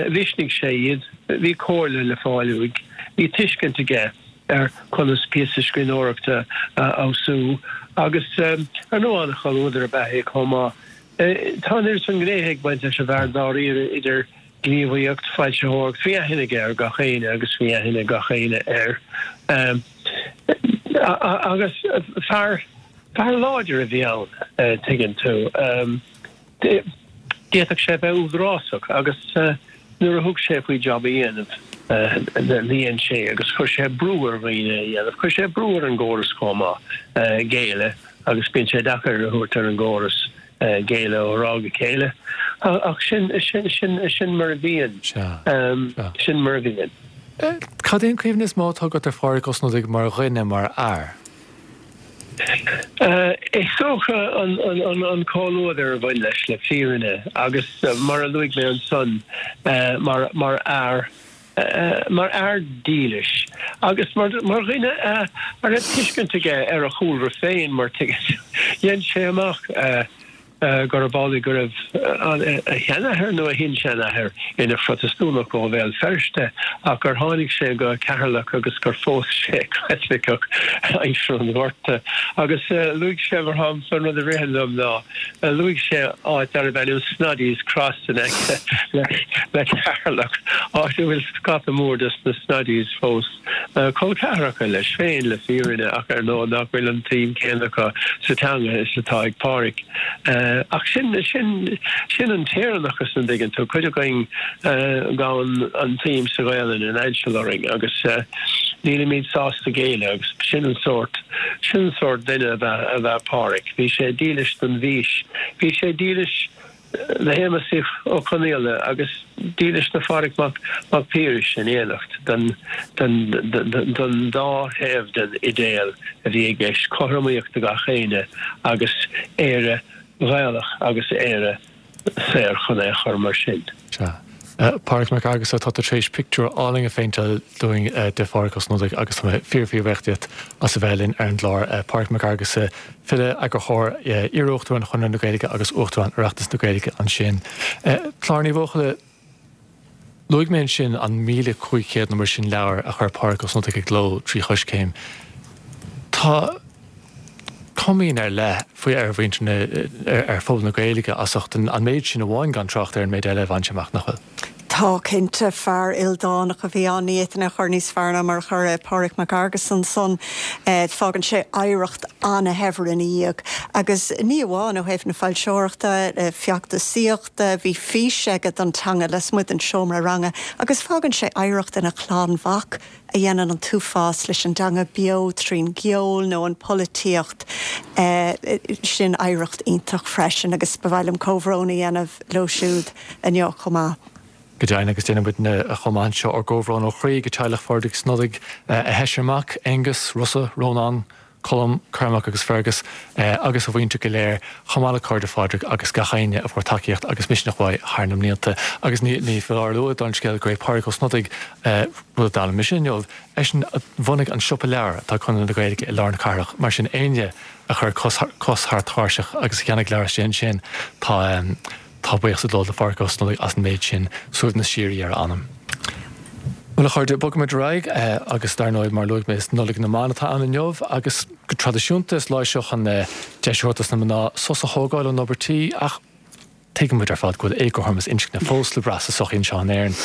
Mhisnigh sé iad, bhí comhairle le fáil uaidh, bhí tuiscint aige ar conas píosa scríbhneoireachta a fheabhsú agus ar ndóigh an-chomhluadar ab ea é chomh maith. Tá an oiread san gnéithe ag baint leis an bhfear dáiríre idir gníomhaíocht, foilsitheoireacht, bhí aithne aige ar gach éinne agus bhí aithne ag gach éinne air. Agus fear fear láidir a bhí ann, tuigeann tú. D'fhéadfadh sé a bheith údarásach agus nuair a thug sé faoi jab a dhéanamh, dhein sé agus chuir sé brú ar dhaoine a dhéanamh. Chuir sé brú ar an gcóras chomh maith géilleadh agus bíonn sé deacair a thabhairt ar an gcóras géilleadh ó thráth go chéile. Ach sin, sin, sin, sin mar a bhíonn. Sin mar a bhíonn. Cad é an cuimhne is mó atá agat ar Phádraic Ó Snodaigh mar dhuine, mar fhear? Is dócha an comhluadar a bhain leis, le fírinne, agus mar a luaigh mé ansan, mar fhear, mar fhear dílis agus mar dhuine a raibh tuiscint aige ar a chúlra féin, mar dhein sé amach gurb amhlaidh go raibh a sheanathair nó a shin-seanathair ina Phrotastúnach ó Bhéal Feirste ach gur tháinig sé go Ceatharlach agus gur phós sé Caitliceach aimsir an Ghorta. Agus luaigh sé, mar shampla, an rud a ritheann liom ná, luaigh sé áit darbh ainm Snoddy's Cross in aice le Ceatharlach, áit a bhfuil scata mór des na Snoddys fós. Col ceathracha leis féin, le fírinne, ach ar ndóigh nach bhfuil an tsuim chéanna acu sa teanga is atá ag Pádhraic. Ach sin, sin, sin an tÉireannachas, an dtuigeann tú. Cuid againn, gabhann an tsuim sa Ghaelainn in ainseal orainn agus nílimid sásta géilleadh agus sin an sórt, sin an sórt duine ab ea, ab ea Pádhraic. Bhí sé dílis don bhfís. Bhí sé dílis do Shéamus Ó Conghaile agus dílis do Phádraig Mac Piarais in éineacht, don dá thaobh den idéal a bhí i gceist, cothromaíocht do gach éinne agus Éire Ghaelach agus Éire saor chun é a chur mar sin. Sea. Pádraig Mac Fhearghusa, tá tú tar éis pictiúr álainn a phéinteáil dúinn de Phádraig Ó Snodaigh agus tá mé fíor fíor bhuíoch díot as a bheith linn ar an gclár. Pádraig Mac Fhearghusa, file, eagarthóir, iar-Uachtarán Chonradh na Gaeilge agus Uachtarán Oireachtas na Gaeilge ansin. Clár Ní Bhuachalla. Luaigh mé ansin an 1,500 nó mar sin leabhar a chuir Pádraig Ó Snodaigh i gcló trí Choiscéim. Tá comaoin ar leith faoi ar mhuintir na, ar phobal na Gaeilge as ucht an méid sin amháin gan trácht ar an méid eile a bhain sé amach, nach bhfuil? Tá, cinnte. Fear ildánach a bhí ann. Ní fhéadfainn é a chur níos fearr ná mar a chuir Pádraig Mac Fhearghais ansan. Fágann sé oidhreacht ana-shaibhir ina dhiaidh. Agus ní amháin ó thaobh na foilseoireachta, feachtasaíochta, bhí fís aige don teanga lasmuigh den seomra ranga agus fágann sé oidhreacht ina chlann mhac a dhéanann an t-uafás leis an dteanga beo trín gceol nó an pholaitíocht. Sin oidhreacht iontach freisin agus ba mhaith liom comhbhrón a dhéanamh leo siúd inniu chomh maith. Go deimhin, agus déanann muidne chomh maith anseo ár gcomhbhrón ó chroí go teaghlach Phádraig Snodaigh, a sheisear mac, Aengus, Rossa, Rónán, Colm, Cormac agus Fergus, agus a mhuintir go léir, chomh maith le cairde Phádraig agus gach éinne a fuair tacaíocht agus misneach uaidh thar na mblianta. Agus ní foláir a lua don scéal gur é Pádraig Ó Snodaigh, rud a d'fhoghlaim mise inniu, eisean a bhunaigh an siopa leabhar atá ag Conradh na Gaeilge i lár na cathrach. Mar sin, éinne a chuir cos thar tairseach agus a cheannaigh leabhar istigh ansin, tá. Tá buíochas ag dul do Phádraig Ó Snodaigh as an méid sin, suaimhneas síoraí ar a anam. Bhuel, a chairde, bogfaimid ar aghaidh agus dar ndóigh, mar a luaigh mé, is Nollaig na mBan atá ann inniu agus go traidisiúnta is lá é seo chun deis a thabhairt dos na mná sos a thógáil ón obair tí ach tuigeann muid ar fad go bhfuil éagothromas inscne fós le brath sa sochaí anseo in Éirinn.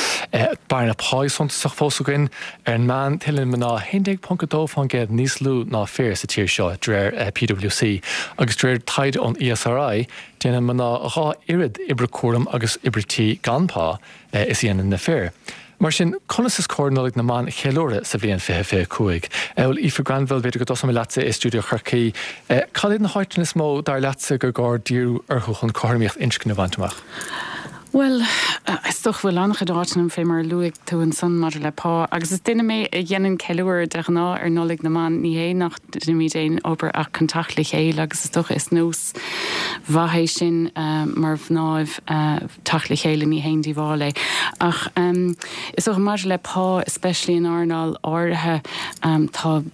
Bearna pá suntasach fós againn. Ar an meán, tuilleann mná 11.2% níos lú ná fir sa tír seo, de réir PwC, agus de réir taighde ón ESRI, Déanann mná 2 oiread oibre cúraim agus oibre tí gan pá is a dhéanann na fir. Mar sin, conas is cóir Nollaig na mBan a cheiliúradh sa bhliain 2025? Bhuel, Aoife Granville, b'fhéidir go dtosóidh mé leatsa i stiúideo Chorcaí. Cad iad na háiteanna is mó, dar leatsa, gur gá díriú orthu chun cothromaíocht inscne a bhaint amach? Bhuel, is dócha go bhfuil an-chuid áiteanna, fé mar a luaigh tú ansan maidir le pá, agus is duine mé a dhéanann ceiliúradh de ghnáth ar Nollaig na mBan, ní hé nach ndéanaimid aon obair ach chun teacht le chéile agus is dócha is nós mhaith é sin mar mhnáibh teacht le chéile, ní haon díobháil é. Ach is dócha maidir le pá, especially in earnáil áirithe, tá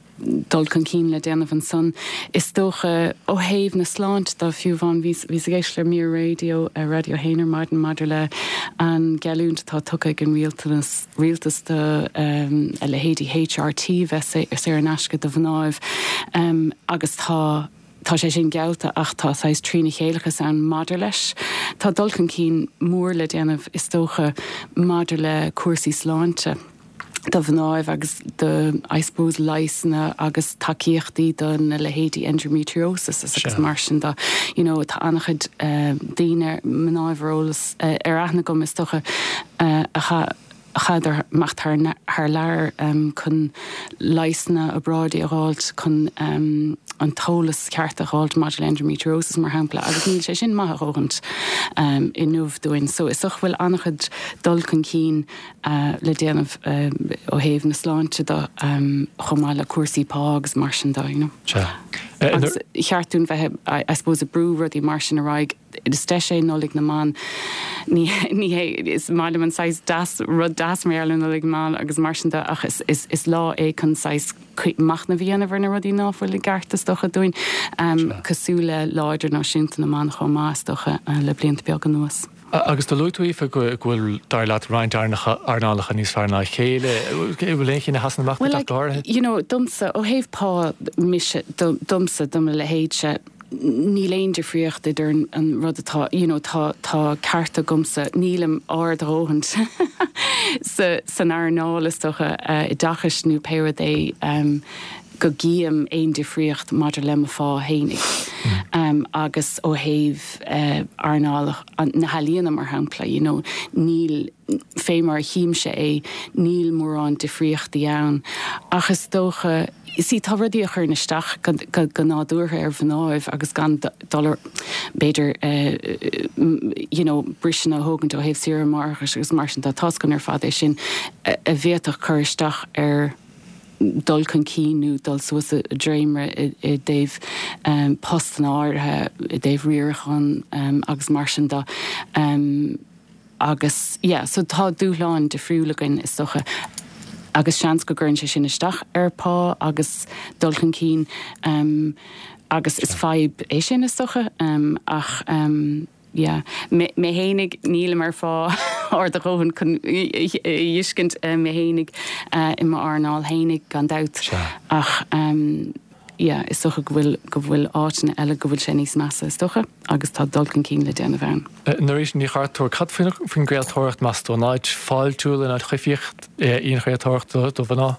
dul chun cinn le déanamh ansan. Is dócha ó thaobh na sláinte de, fiú amháin, bhíos ag éisteacht le mír raidió ar Raidió 1 ar maidin maidir le an geallúint atá tugtha ag an rialtanas, rialtas do a leithéidí HRT bheith saor in aisce do mhnáibh agus tá tá sé sin geallta ach tá saghas trína chéileachas ann maidir leis. Tá dul chun cinn mór le déanamh is dócha maidir le cúrsaí sláinte do mhnáibh agus do I suppose leigheasanna agus tacaíochtaí do na leithéidí endometriosis agus mar sin de. You know tá an-chuid daoine, mnáibh ar eolas, ar aithne agam is dócha a chaith chaith amach thar thar lear chun leigheasanna obráidí a dh'fháilt chun an t-eolas ceart a dh'fháilt maidir le endometriosis mar shampla agus níl sé sin maith a dhóthaint inniu dúinn. So is dócha go bhfuil an-chuid dul chun cinn le déanamh ó thaobh na sláinte de chomh maith le cúrsaí pá agus mar sin de, you know. Sea. Agus cheart dúinn bheith I suppose ag brú rudaí mar sin ar aghaidh. Is deis é Nollaig na mBan. Ní hé, is maith liom an saghas deas, rud deas mar gheall ar Nollaig na mBan agus mar sin de ach is, is, is lá é chun saghas machnamh a dhéanamh ar na rudaí ná fuil i gceart is dócha dúinn, cosúil le Lá Idirnáisiúnta na mBan chomh maith is dócha le blianta beaga anuas. Agus do luaigh tú, Aoife, go bhfuil, dar leat, roinnt earnálacha níos fearr ná a chéile. An bhfuil aon chinn a sheasann amach duit ach go háirithe? Bhuel, you know, domsa, ó thaobh pá, mise, domsa, do mo leithéidse, níl aon difríocht idir an rud atá, you know, tá, tá cearta agamsa, nílim ard a dhóthaint sa, san earnáil, is dócha, oideachais nó pé rud é, go gcím aon difríocht maidir le mo phá fhéinig. Agus ó thaobh earnáil na healaíona, mar shampla, you know, níl, fé mar a chímse é, níl mórán difríochtaí ann. Ach is dócha, see, tá rudaí a chuireann isteach go nádúrtha ar mhnáibh agus gan dul ar, b'fhéidir, you know, briseanna a thógaint ó thaobh saoire máithreachais agus mar sin de, tá's againn ar fad é sin, a bhféadfadh cur isteach ar dul chun cinn nó dul suas i dréimire i dtaobh postanna áirithe, i dtaobh riaracháin agus mar sin de. Agus yeah, so tá dúshláin difriúil againn is dócha agus seans go gcuireann sé sin isteach ar pá agus dul chun cinn agus is fadhb é sin is dócha ach. Yeah. Mé fhéinig, nílim ar phá ard a dhóthain chun a thuiscint mé fhéinig i m'earnáil fhéinig, gan dabht. Ach yeah, is dócha go bhfuil, go bhfuil áiteanna eile go bhfuil sé níos measa, is dócha, agus tá dul chun cinn le déanamh ann. Norita Ní Chartúir, cad faoin gcraoltóireacht, meas tú? An áit fáiltiúil, an áit choimhthíoch í an chraoltóireacht do mhná?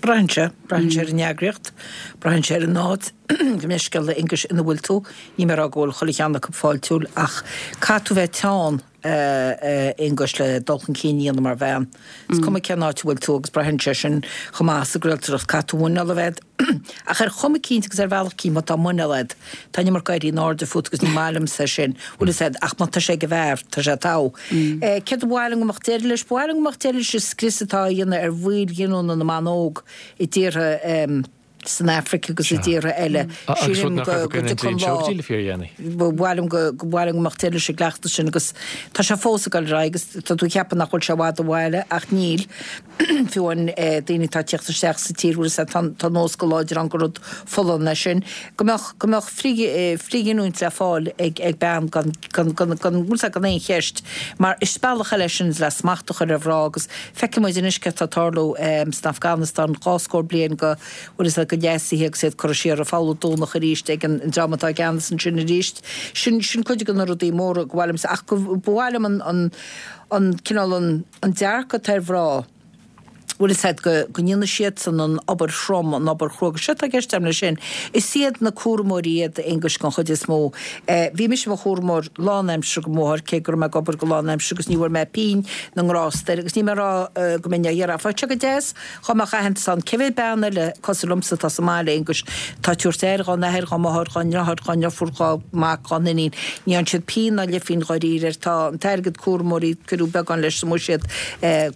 Braitheann sé. Braitheann sé ar an eagraíocht. Braitheann sé ar an áit, gabh mo leithscéal, a Aonghuis, ina bhfuil tú. Níl mé ag rá go bhfuil chuile cheann acu fáiltiúil ach caithfidh tú bheith teann, a Aonghuis, le dul chun cinn a dhéanamh mar bhean. Is cuma cén áit a bhfuil tú agus braitheann sé sin chomh maith sa gcraoltóireacht. Caithfidh tú muineál a bheith agat. Ach ar chuma eicínt agus ar bhealach eicínt má tá muineál agat, Tá an iomarca éirí in airde fút agus ní maith liomsa é sin, bhfuil fhios a'd, ach má tá sé ag an bhfear, tá sé togha. Céard a ba mhaith liom go mbeadh deireadh leis? Ba mhaith liom go mbeadh deireadh leis an scrios atá á dhéanamh ar bhaill ghiniúna na mban óg i dtíortha san Afraic agus i dtíortha eile. Sílim go dtiocfaidh an lá. Ba mhaith liom go ba mhaith liom go mbeadh deireadh leis an gcleachtas sin agus tá sé fós ag dul ar aghaidh agus tá tú ag ceapadh nach bhfuil sé i bhfad ó bhaile ach níl. Fiú amháin daoine atá ag tíocht isteach sa tír, bhfuil fhios a'd, tá, tá nós go láidir ann gur rud folláin é sin, go mbeadh, go mbeadh frithghiniúint le fáil ag, ag bean gan, gan, gan, gan, bhfuil fhios a'd, gan aon cheist. Mar is bealach eile é sin le smacht a chur ar mhná agus feicfidh muid anois céard atá ag tarlú san Afganastáin, 20 bliain go, bhfuil fhios a'd, go leasaithe agus iad curtha siar ar an bhfoghludh Domhnach arís ag an dream atá i gceannas ansin arís. Sin, sin cuid de na rudaí móra go mhaith liomsa ach go, ba mhaith liom an, an, an cineál, an. An dearcadh atá ar mhná, bhfuil fhios a'd, go, go ndéanann siadsan an obair throm, an obair chrua, agus séard atá i gceist agam leis sin, is iad na cúramóirí iad, Aonghus, den chuid is mó. Bhí mise i mo chúramóir lánaimseartha do mo mháthair, cé go raibh mé ag obair go lánaimseartha agus ní bhfuair mé pingin na ngrást air, agus níl mé ag rá go mbeinn á iarraidh. Bheadh sé go deas Dhá mbeadh aitheantas ann, cé mhéad bean eile cosúil liomsa atá sa mbaile, Aonghus, atá ag tabhairt aire dhá n-athair, dhá máthair, dhá ndriotháir, dhá ndeirfiúr, dhá mac, dhá n-iníon. Ní fhaigheann siad pingin ná leithphingin dháiríre air. Tá an t-airgead cúramóirí, cuireadh beagán leis sa mbuiséad,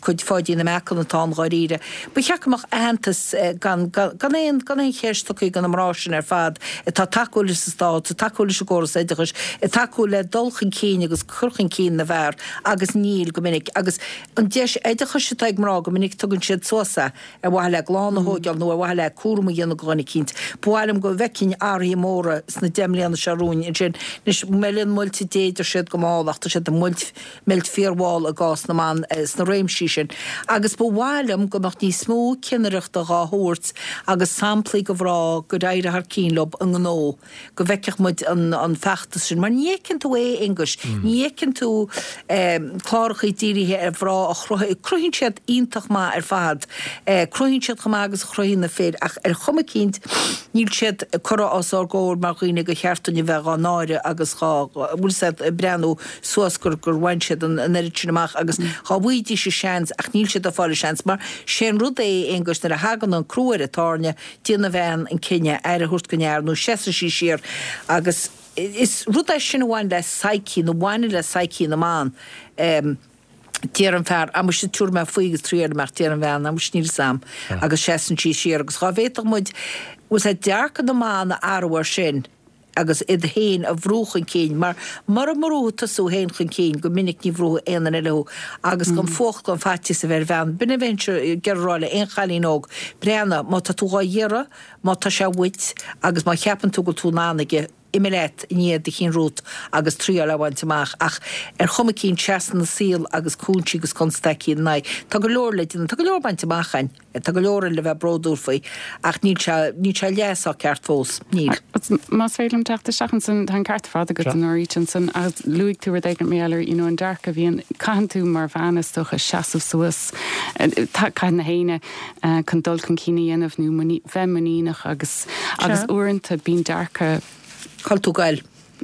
cuid Pháidín na Meacan atá ann dháiríre. Ba cheart go mbeadh aitheantas gan, gan aon, gan aon cheist tugtha do na mná sin ar fad atá ag tacú leis an stát, ag tacú leis an gcóras oideachais, ag tacú le dul chun cinn agus cur chun cinn na bhfear agus níl go minic. Agus. An deis oideachais atá ag mná, go minic tugann siad suas é ar mhaithe le clann a thóigeáil nó ar mhaithe le cúram a dhéanamh do dhuine eicínt. Ba mhaith liom go bhfeicfinn athruithe móra sna 10 mbliana seo romhainn ansin. Anois, meileann muilte Dé, deir siad, go mall ach tá siad ag meilt, meilt fíormhall i gcás na mban sna réimsí sin. Agus ba mhaith liom go mbeadh níos mó cinnireachta dhá thabhairt agus samplaí go mhná gur éirigh thar cinn leo i ngnó. go bhfeicfeadh muid an feachtas sin, mar ní fheiceann tú é, a Aonghuis, ní fheiceann tú clárachaí dírithe ar mhná a chruthaigh, cruthaíonn siad iontach maith ar fad, cruthaíonn siad chomh maith agus a chruthaíonn na fir, ach ar chuma eicínt níl siad curtha os ár gcomhair mar dhaoine gur cheart dúinn a bheith dhá náire agus dhá, bhfuil 'fhios a'd, ag breathnú suas gur gur bhain siad an oiread sin amach agus dhá bhfaighidís an seans ach níl siad ag fáil an seans mar sé an rud é, a Aonghuis, nuair a thagann an crú ar an tairne, Déanann an bhean an cinneadh aire a thabhairt don fhear nó seasann sí siar agus is rud é sin a bhain le psyche nó bhaineann le psyche na mban. Deir an fear, ah muise tabharfaidh mé faoi agus triailfidh mé ach deir an bhean, ah muise níl 'fhios a'm agus seasann sí siar agus dhá bhféadfadh muid bhfuil 'fhios a'd dearcadh na mban a athrú ar sin agus iad féin a bhrú chun cinn, mar mura mbrúfaidh tusa thú féin chun cinn, go minic ní bhrúfaidh aon duine eile thú, agus gan fuacht gan faitíos a bheith ar bhean. B'in a bheinnse ag iarraidh a rá le aon chailín óg, breathnaigh, má tá tú dhá iarraidh, má tá sé uait, agus má cheapann tú go bhfuil tú in ann aige, imigh leat i ndiaidh do chinn romhat agus triáil é a bhaint amach. Ach ar chuma eicínt, seasann an saol agus cúinsí agus constaicí ina n-aghaidh. Tá go leor le déanamh, tá go leor bainte amach againn. Tá go leor le bheith bródúil faoi ach níl sé, níl sé leath sách ceart fós. Níl. Más féidir liom teacht isteach ansan, tá an ceart ar fad agat a Norita ansan agus luaigh tú rud éigin mar gheall ar, you know, an dearcadh a bhíonn, caitheann tú mar bhean is dócha seasamh suas, caitheann na héinne chun dul chun cinn a dhéanamh nó bheith muiníneach agus, agus uaireanta bíonn dearcadh. Cá bhfuil tú ag goil?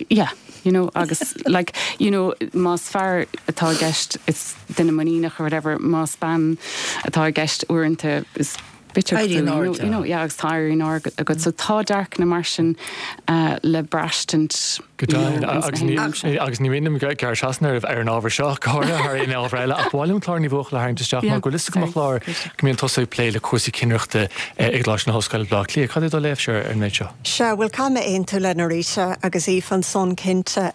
yeah, you know, agus like, you know, más fear atá i gceist is duine muiníneach or whatever, más bean atá i gceist uaireanta is bitseach tú, you know, you know, yeah, agus tá éirí in airde agat. So tá dearcanna mar sin le braistint, Go deimhin, agus ní, agus ní mian liom gearradh trasna oraibh ar an ábhar seo, go háirithe thar aon ábhar eile, ach ba mhaith liom Clár Ní Bhuachalla a tharraingt isteach mar go bhfuil fhios agam a Chláir go mbíonn tusa ag plé le cúrsaí cinnireachta i gColáiste na hOllscoile Baile Átha Cliath. Cad é do léamhsa ar an méid seo? Sea, bhuel, caithfidh mé aontú le Norita agus Aoife ansan, cinnte.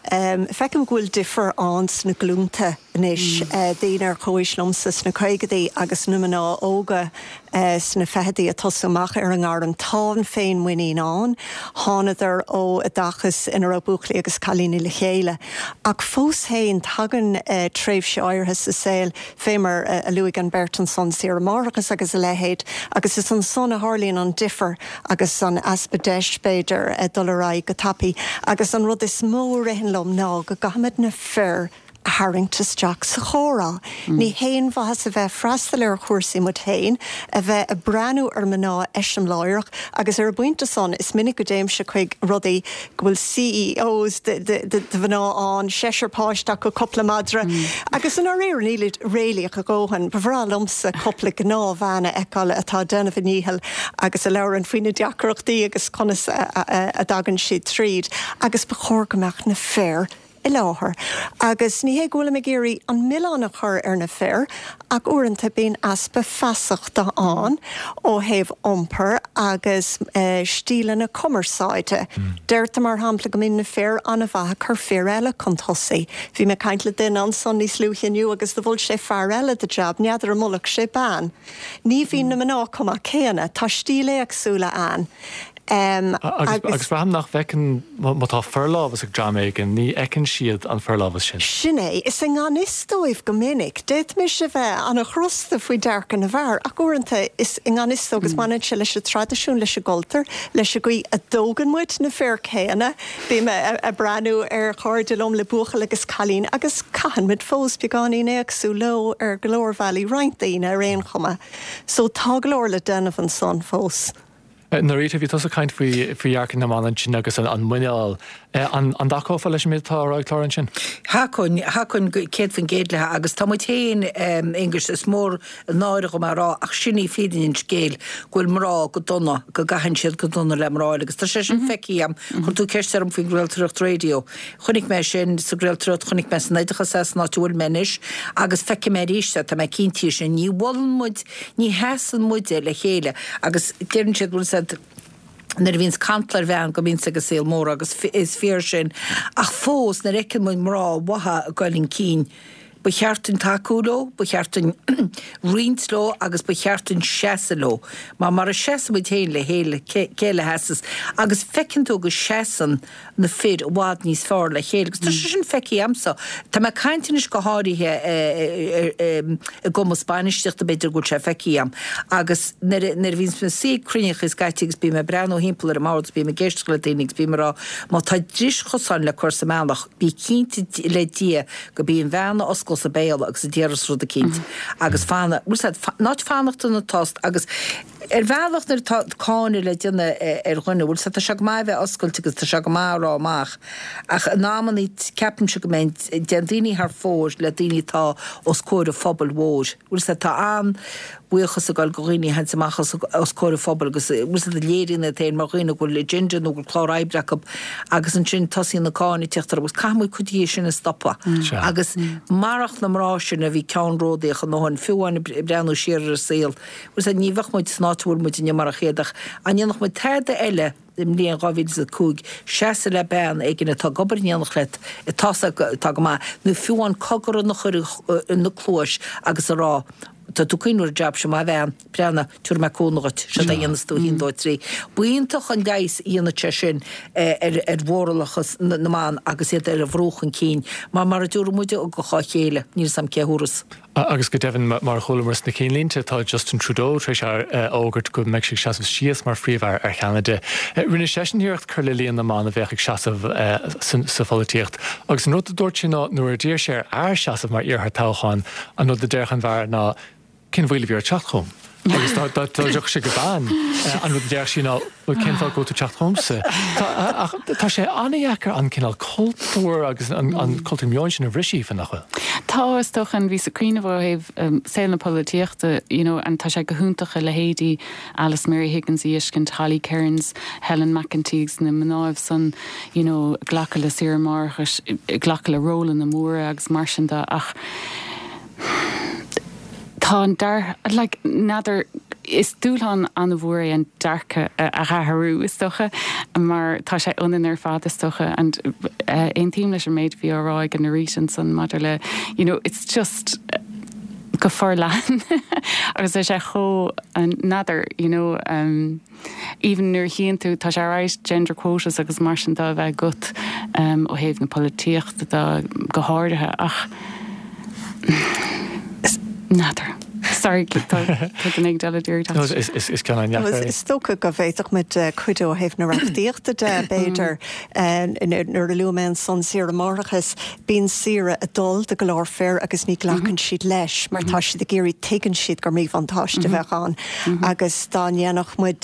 Feicim go bhfuil difear ann sna glúnta. anois, daoine ar chomhaois liomsa sna caogaidí agus na mná óga sna fichidí ag tosú amach ar an ngairm, tá an féinmhuinín ann, thánadar ó oideachas ina raibh buachaillí agus cailíní le chéile. Ach fós féin, tagann tréimhse áirithe sa saol, fé mar a luaigh an bheirt ansan, saoire máithreachais agus a leithéid, agus is ansan a tharlaíonn an difear agus an easpa deis, b'fhéidir, dul ar aghaidh go tapaidh. Agus an rud is mó a ritheann liom ná go gcaithfimid na fir a tharraingt isteach sa chomhrá. Ní haon mhaitheas a bheith ag freastal ar chúrsaí muid féin, a bheith ag breathnú ar mná eiseamláireach agus ar an bpointe san is minic go dtéimse chuig rudaí go bhfuil CEOs de mhná ann, seisear páiste acu, cúpla madra agus i ndáiríre nílid réalaíoch a dhóthain. Ba bhreá liomsa cúpla gnáthbhean a fheiceáil atá ag déanamh a ndícheall agus a labhrann faoi na deacrachtaí agus conas a dtagann siad tríd agus ba chóir go mbeadh na fir i láthair. Agus ní hé go bhfuilim ag iarraidh an milleán a chur ar na fir, ach uaireanta bíonn easpa feasachta ann ó thaobh iompair agus stíleanna cumarsáide. Deirtear, mar shampla, go mbíonn na fir an-mhaith ag cur fir eile chun tosaigh. Bhí mé ag caint le duine ansan níos luaithe inniu agus do mhol sé fear eile do jab, n'fheadar an molfadh sé bean. Ní bhíonn na mná chomh maith céanna, tá stíl éagsúla ann. Agus braithim nach bhfeiceann, má tá forlámhas ag dream éigin, ní fheiceann siad an forlámhas sin. Sin é. Is i ngan fhios dóibh go minic. D'fhéadfaimis a bheith an-chrosta faoi dearcadh na bhfear, ach uaireanta is i ngan fhios dóibh agus baineann sé leis an traidisiún, leis an gcultúr, leis an gcaoi a dtógann muid na fir céanna. Bím ag breathnú ar chairde liom le buachaill agus cailín agus caitheann muid fós beagáinín éagsúil leo ar go leor bhealaí, roinnt daoine ar aon chuma. So tá go leor le déanamh ansan fós. Norita, bhí tusa ag caint faoi dhearcadh na mban ansin agus an muineál. An dtacófá leis an méid atá á rá ag Clára ansin? Thacóinn, thacóinn 100% léi agus tá muid féin, Aonghus, is mór an náire dhom é a rá ach sin í fírinne an scéil, go bhfuil mná go dona, go gcaitheann siad go dona le mná eile agus tá sé sin feicthe agam. Chuir tú ceist orm faoin gcraoltóireacht raidió. Chonaic mé sin sa gcraoltóireacht, chonaic mé san oideachas é san áit a bhfuil mé anois agus feicfidh mé arís é, tá mé cinnte de sin. Ní mholann muid Ní sheasann muide le chéile agus deireann siad, bhfuil 'fhios a'd, nuair a bhíonns cantal ar bhean go mbíonns ag an saol mór agus is fíor sin ach fós nuair a fheiceann muid mná mhaithe ag goil chun cinn ba cheart duinn tacú leo, ba cheart duinn roinnt leo agus ba cheart duinn seasamh leo mar mara seasann muid féin le chéile cé eile a sheasas agus feiceann tú go seasann na fir i bhfad níos fearr le chéile agus tá sé sin feicthe a'msa. Tá mé ag caint anois go háirithe i gcumas bainistíochta b'fhéidir go bhfuil sé feicthe a'm agus nuair a bhíonns mé ag suí ag cruinniúchaí scaití agus bím ag breathnú thimpeall ar an mbord agus bím ag éisteacht le daoine agus bím ag rá má tá dris chosáin le cur sa mbealach bí cinnte le Dia go b'í an bhean a osclós a béal agus a déarfas rud eicínt agus fanadh, bhfuil 's a'd, ná fanacht ina tost agus Ar bhealach nuair atá cáineadh le déanamh ar dhuine, bhfuil 's a'd, tá sé go maith a bheith oscailte agus tá sé go maith a rá amach ach in amannaí ceapaimse go mbíonn, déanann daoine thar fóir le daoine atá os comhair an phobail mhóir. Bhfuil 's a'd, tá an-bhuíochas ag dul go dhaoine a théanns amach os comhair an phobail agus bhfuil 's a'd, a léiríonn iad féin mar dhaoine go bhfuil agenda nó go bhfuil clár oibre acu agus ansin tosaíonn an cáineadh ag tíocht orthu agus caithfidh muid cuid dhe sin a stopadh agus marach na mná sin a bhí ceannródaíoch a ndóthain, fiú amháin ag breathnú siar ar an saol, Bhfuil 's a'd, ní bheadh muid san áit a bhfuil muid inniu marach iad ach an ndéanfadh muid tada eile i mbliain 2005 seasamh le bean éigin atá ag obair in éineacht leat atá atá go maith nó fiú amháin cogar a chur ina cluais agus a rá tá tú cuimhneamh ar an jab seo maith bhean, breathnaigh, tabharfaidh mé cúnamh dhuit, seo é a dhéanfas tú, 1, 2, 3. B'iontach an leigheas a dhéanfadh sé sin ar ar mhóralachas na mban agus iad ar a bhrú chun cinn mar mar a dtabharfaidh muid ugach dá chéile, níl 's a'm cé thabharfas. Agus go deimhin, mar a chualamar sna cinnlínte, tá Justin Trudeau tar éis a fhógairt go mbeidh sé ag seasamh síos mar Phríomh-Aire ar Cheanada. Rinne seisean iarracht cur le líon na mban a bheadh ag seasamh sa pholaitíocht agus an rud a dúirt sé ná nuair a d'iarr sé ar fhear seasamh mar iarrthóir toghcháin, an rud a déarfadh an fear ná Cén mhoill a bhí ort teacht chugam? Agus dá dtiocfadh sé go bean, an rud a déarfadh sí ná Bhuel, cén fáth go bhfuil tú ag teacht chugamsa? Ach tá sé an-dheacair an cineál cultúr agus an cultúr meoin sin a bhriseadh, Aoife, nach bhfuil? Tá, is dócha, and bhíos ag cuimhneamh ó thaobh saol na polaitíochta, you know, and tá sé go hiontach a leithéidí Alice Mary Higgins a fheiscint, Holly Cairns, Helen McEntee agus na mnáibh san, you know, glacadh le saoire máithreachais, glacadh le rólanna móra agus mar sin de ach tá an dear, like, n'fheadar. Is dúshlán an-mhór é an dearcadh a athrú, is dócha, mar tá sé ionainn ar fad, is dócha, and aontaím leis an méid a bhí á rá ag Norita ansan maidir le, you know, it's just go forleathan agus tá sé chomh, n'fheadar, you know, even nuair a chíonn tú, tá sé alright gender quotas agus mar sin de a bheith agat ó thaobh na polaitíochta de go háirithe ach n'fheadar. Sorry, tá duine éigin eile ag iarraidh teacht. Is ceann an-deacair é. Is dócha go bhféadfadh muid cuidiú ó thaobh na reachtaíochta de, b'fhéidir. Nuair a luaigh mé ansan saoire máithreachais, bíonn saoire ag dul do go leor fir agus ní ghlacann siad leis mar tá siad ag iarraidh, tuigeann siad gur míbhuntáiste a bheadh ann agus dá ndéanfadh muid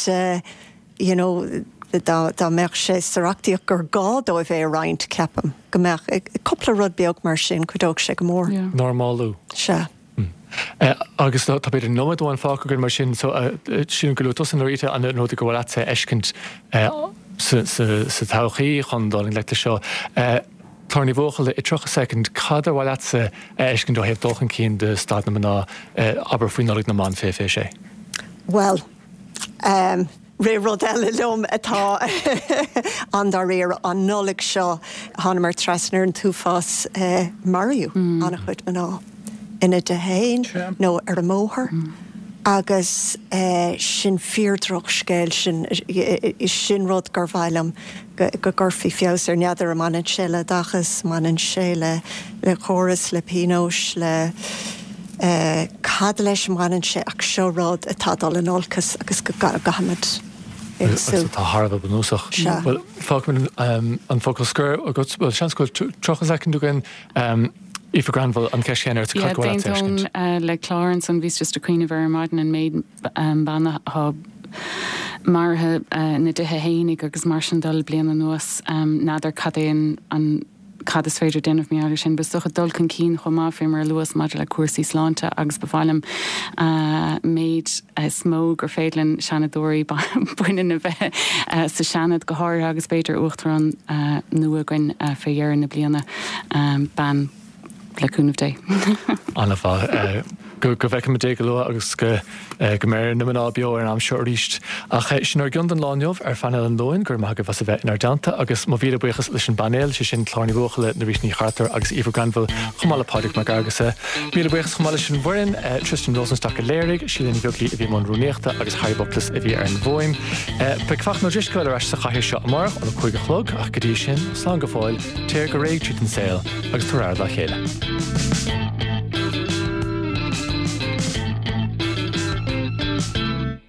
you know dá dá mbeadh sé sa reachtaíocht gur gá dóibh é a roinnt, ceapaim go mbeadh cúpla rud beag mar sin, cuideodh sé go mór. Normalú. Sea. Agus tá b'fhéidir nóiméad amháin fágtha againn mar sin, so sílim gur luaigh tusa Norita an rud gur mhaith leatsa a fheiscint sa todhchaí chun dul i ngleic leis seo. Clár Ní Bhuachalla, i 30 soicind, cad ar mhaith leatsa a fheiscint ó thaobh dul chun cinn de staid na mná, abair faoi Nollaig na mBan 2026? Bhuel, rith rud eile liom atá an-dáiríre. An Nollaig seo, thánamar trasna ar an t-uafás, maraíodh an-chuid mná ina dtithe féin nó ar an mbóthar agus sin fíor-dhrochscéal, sin, sin rud gur mhaith liom go gcuirfí feabhas air. N'fheadar an mbaineann sé le oideachas, mbaineann sé le le córas, le pionóis, le cad leis a mbaineann sé ach seo rud atá ag dul in olcas agus go gcaithfimid feabhsú. Agus atá thar a bheith bunúsach. Sea. Bhuel, fágfaimid an focal scoir agat. Bhuel, seans go bhfuil 30 soicind againn. Aoife Granville, an cheist chéanna ort, cad ba mhaith leat a fheiscint? Yeah, d'aontóinn le Clár ansan, bhíos just ag cuimhneamh ar ar maidin an méid ban atá maraithe ina dtithe fhéinig agus mar sin de le bliain anuas. N'fheadar cad é an cad is féidir déanamh mar gheall air sin. But is dócha dul chun cinn chomh maith fé mar a luas maidir le cúrsaí sláinte agus ba mhaith liom méid is mó gur féidir linn seanadóirí baineann a bheith sa Seanad go háirithe agus b'fhéidir uachtarán nua againn fé dheireadh na bliana, bean. Le cúnamh Dé. An-mhaith. Go bhfeicfimid é go luath agus go mbeidh na mná beo ar an am seo arís. Ach sin ár gcion don lá inniu ar Phainéal an Luain. Go raibh maith agaibh as a bheith inár dteannta agus mo mhíle buíochas leis an bpainéal, sé sin Clár Ní Bhuachalla, Norita Ní Chartúir agus Aoife Granville chomh maith le Pádraig Mac Fhearghusa. Míle buíochas chomh maith leis an bhfoireann, Tristan Rosenstock a léirigh, Síle Ní Bheaglaoí a bhí i mbun rúnaíochta agus Harry Buplis a bhí ar an bhfuaim. Beidh Fachtna Ó Drisceoil ar ais sa chathaoir seo amárach óna 5 a chlog ach go dtí sin, slán go fóill. Téir go réidh tríd an saol agus tabhair aire dá chéile.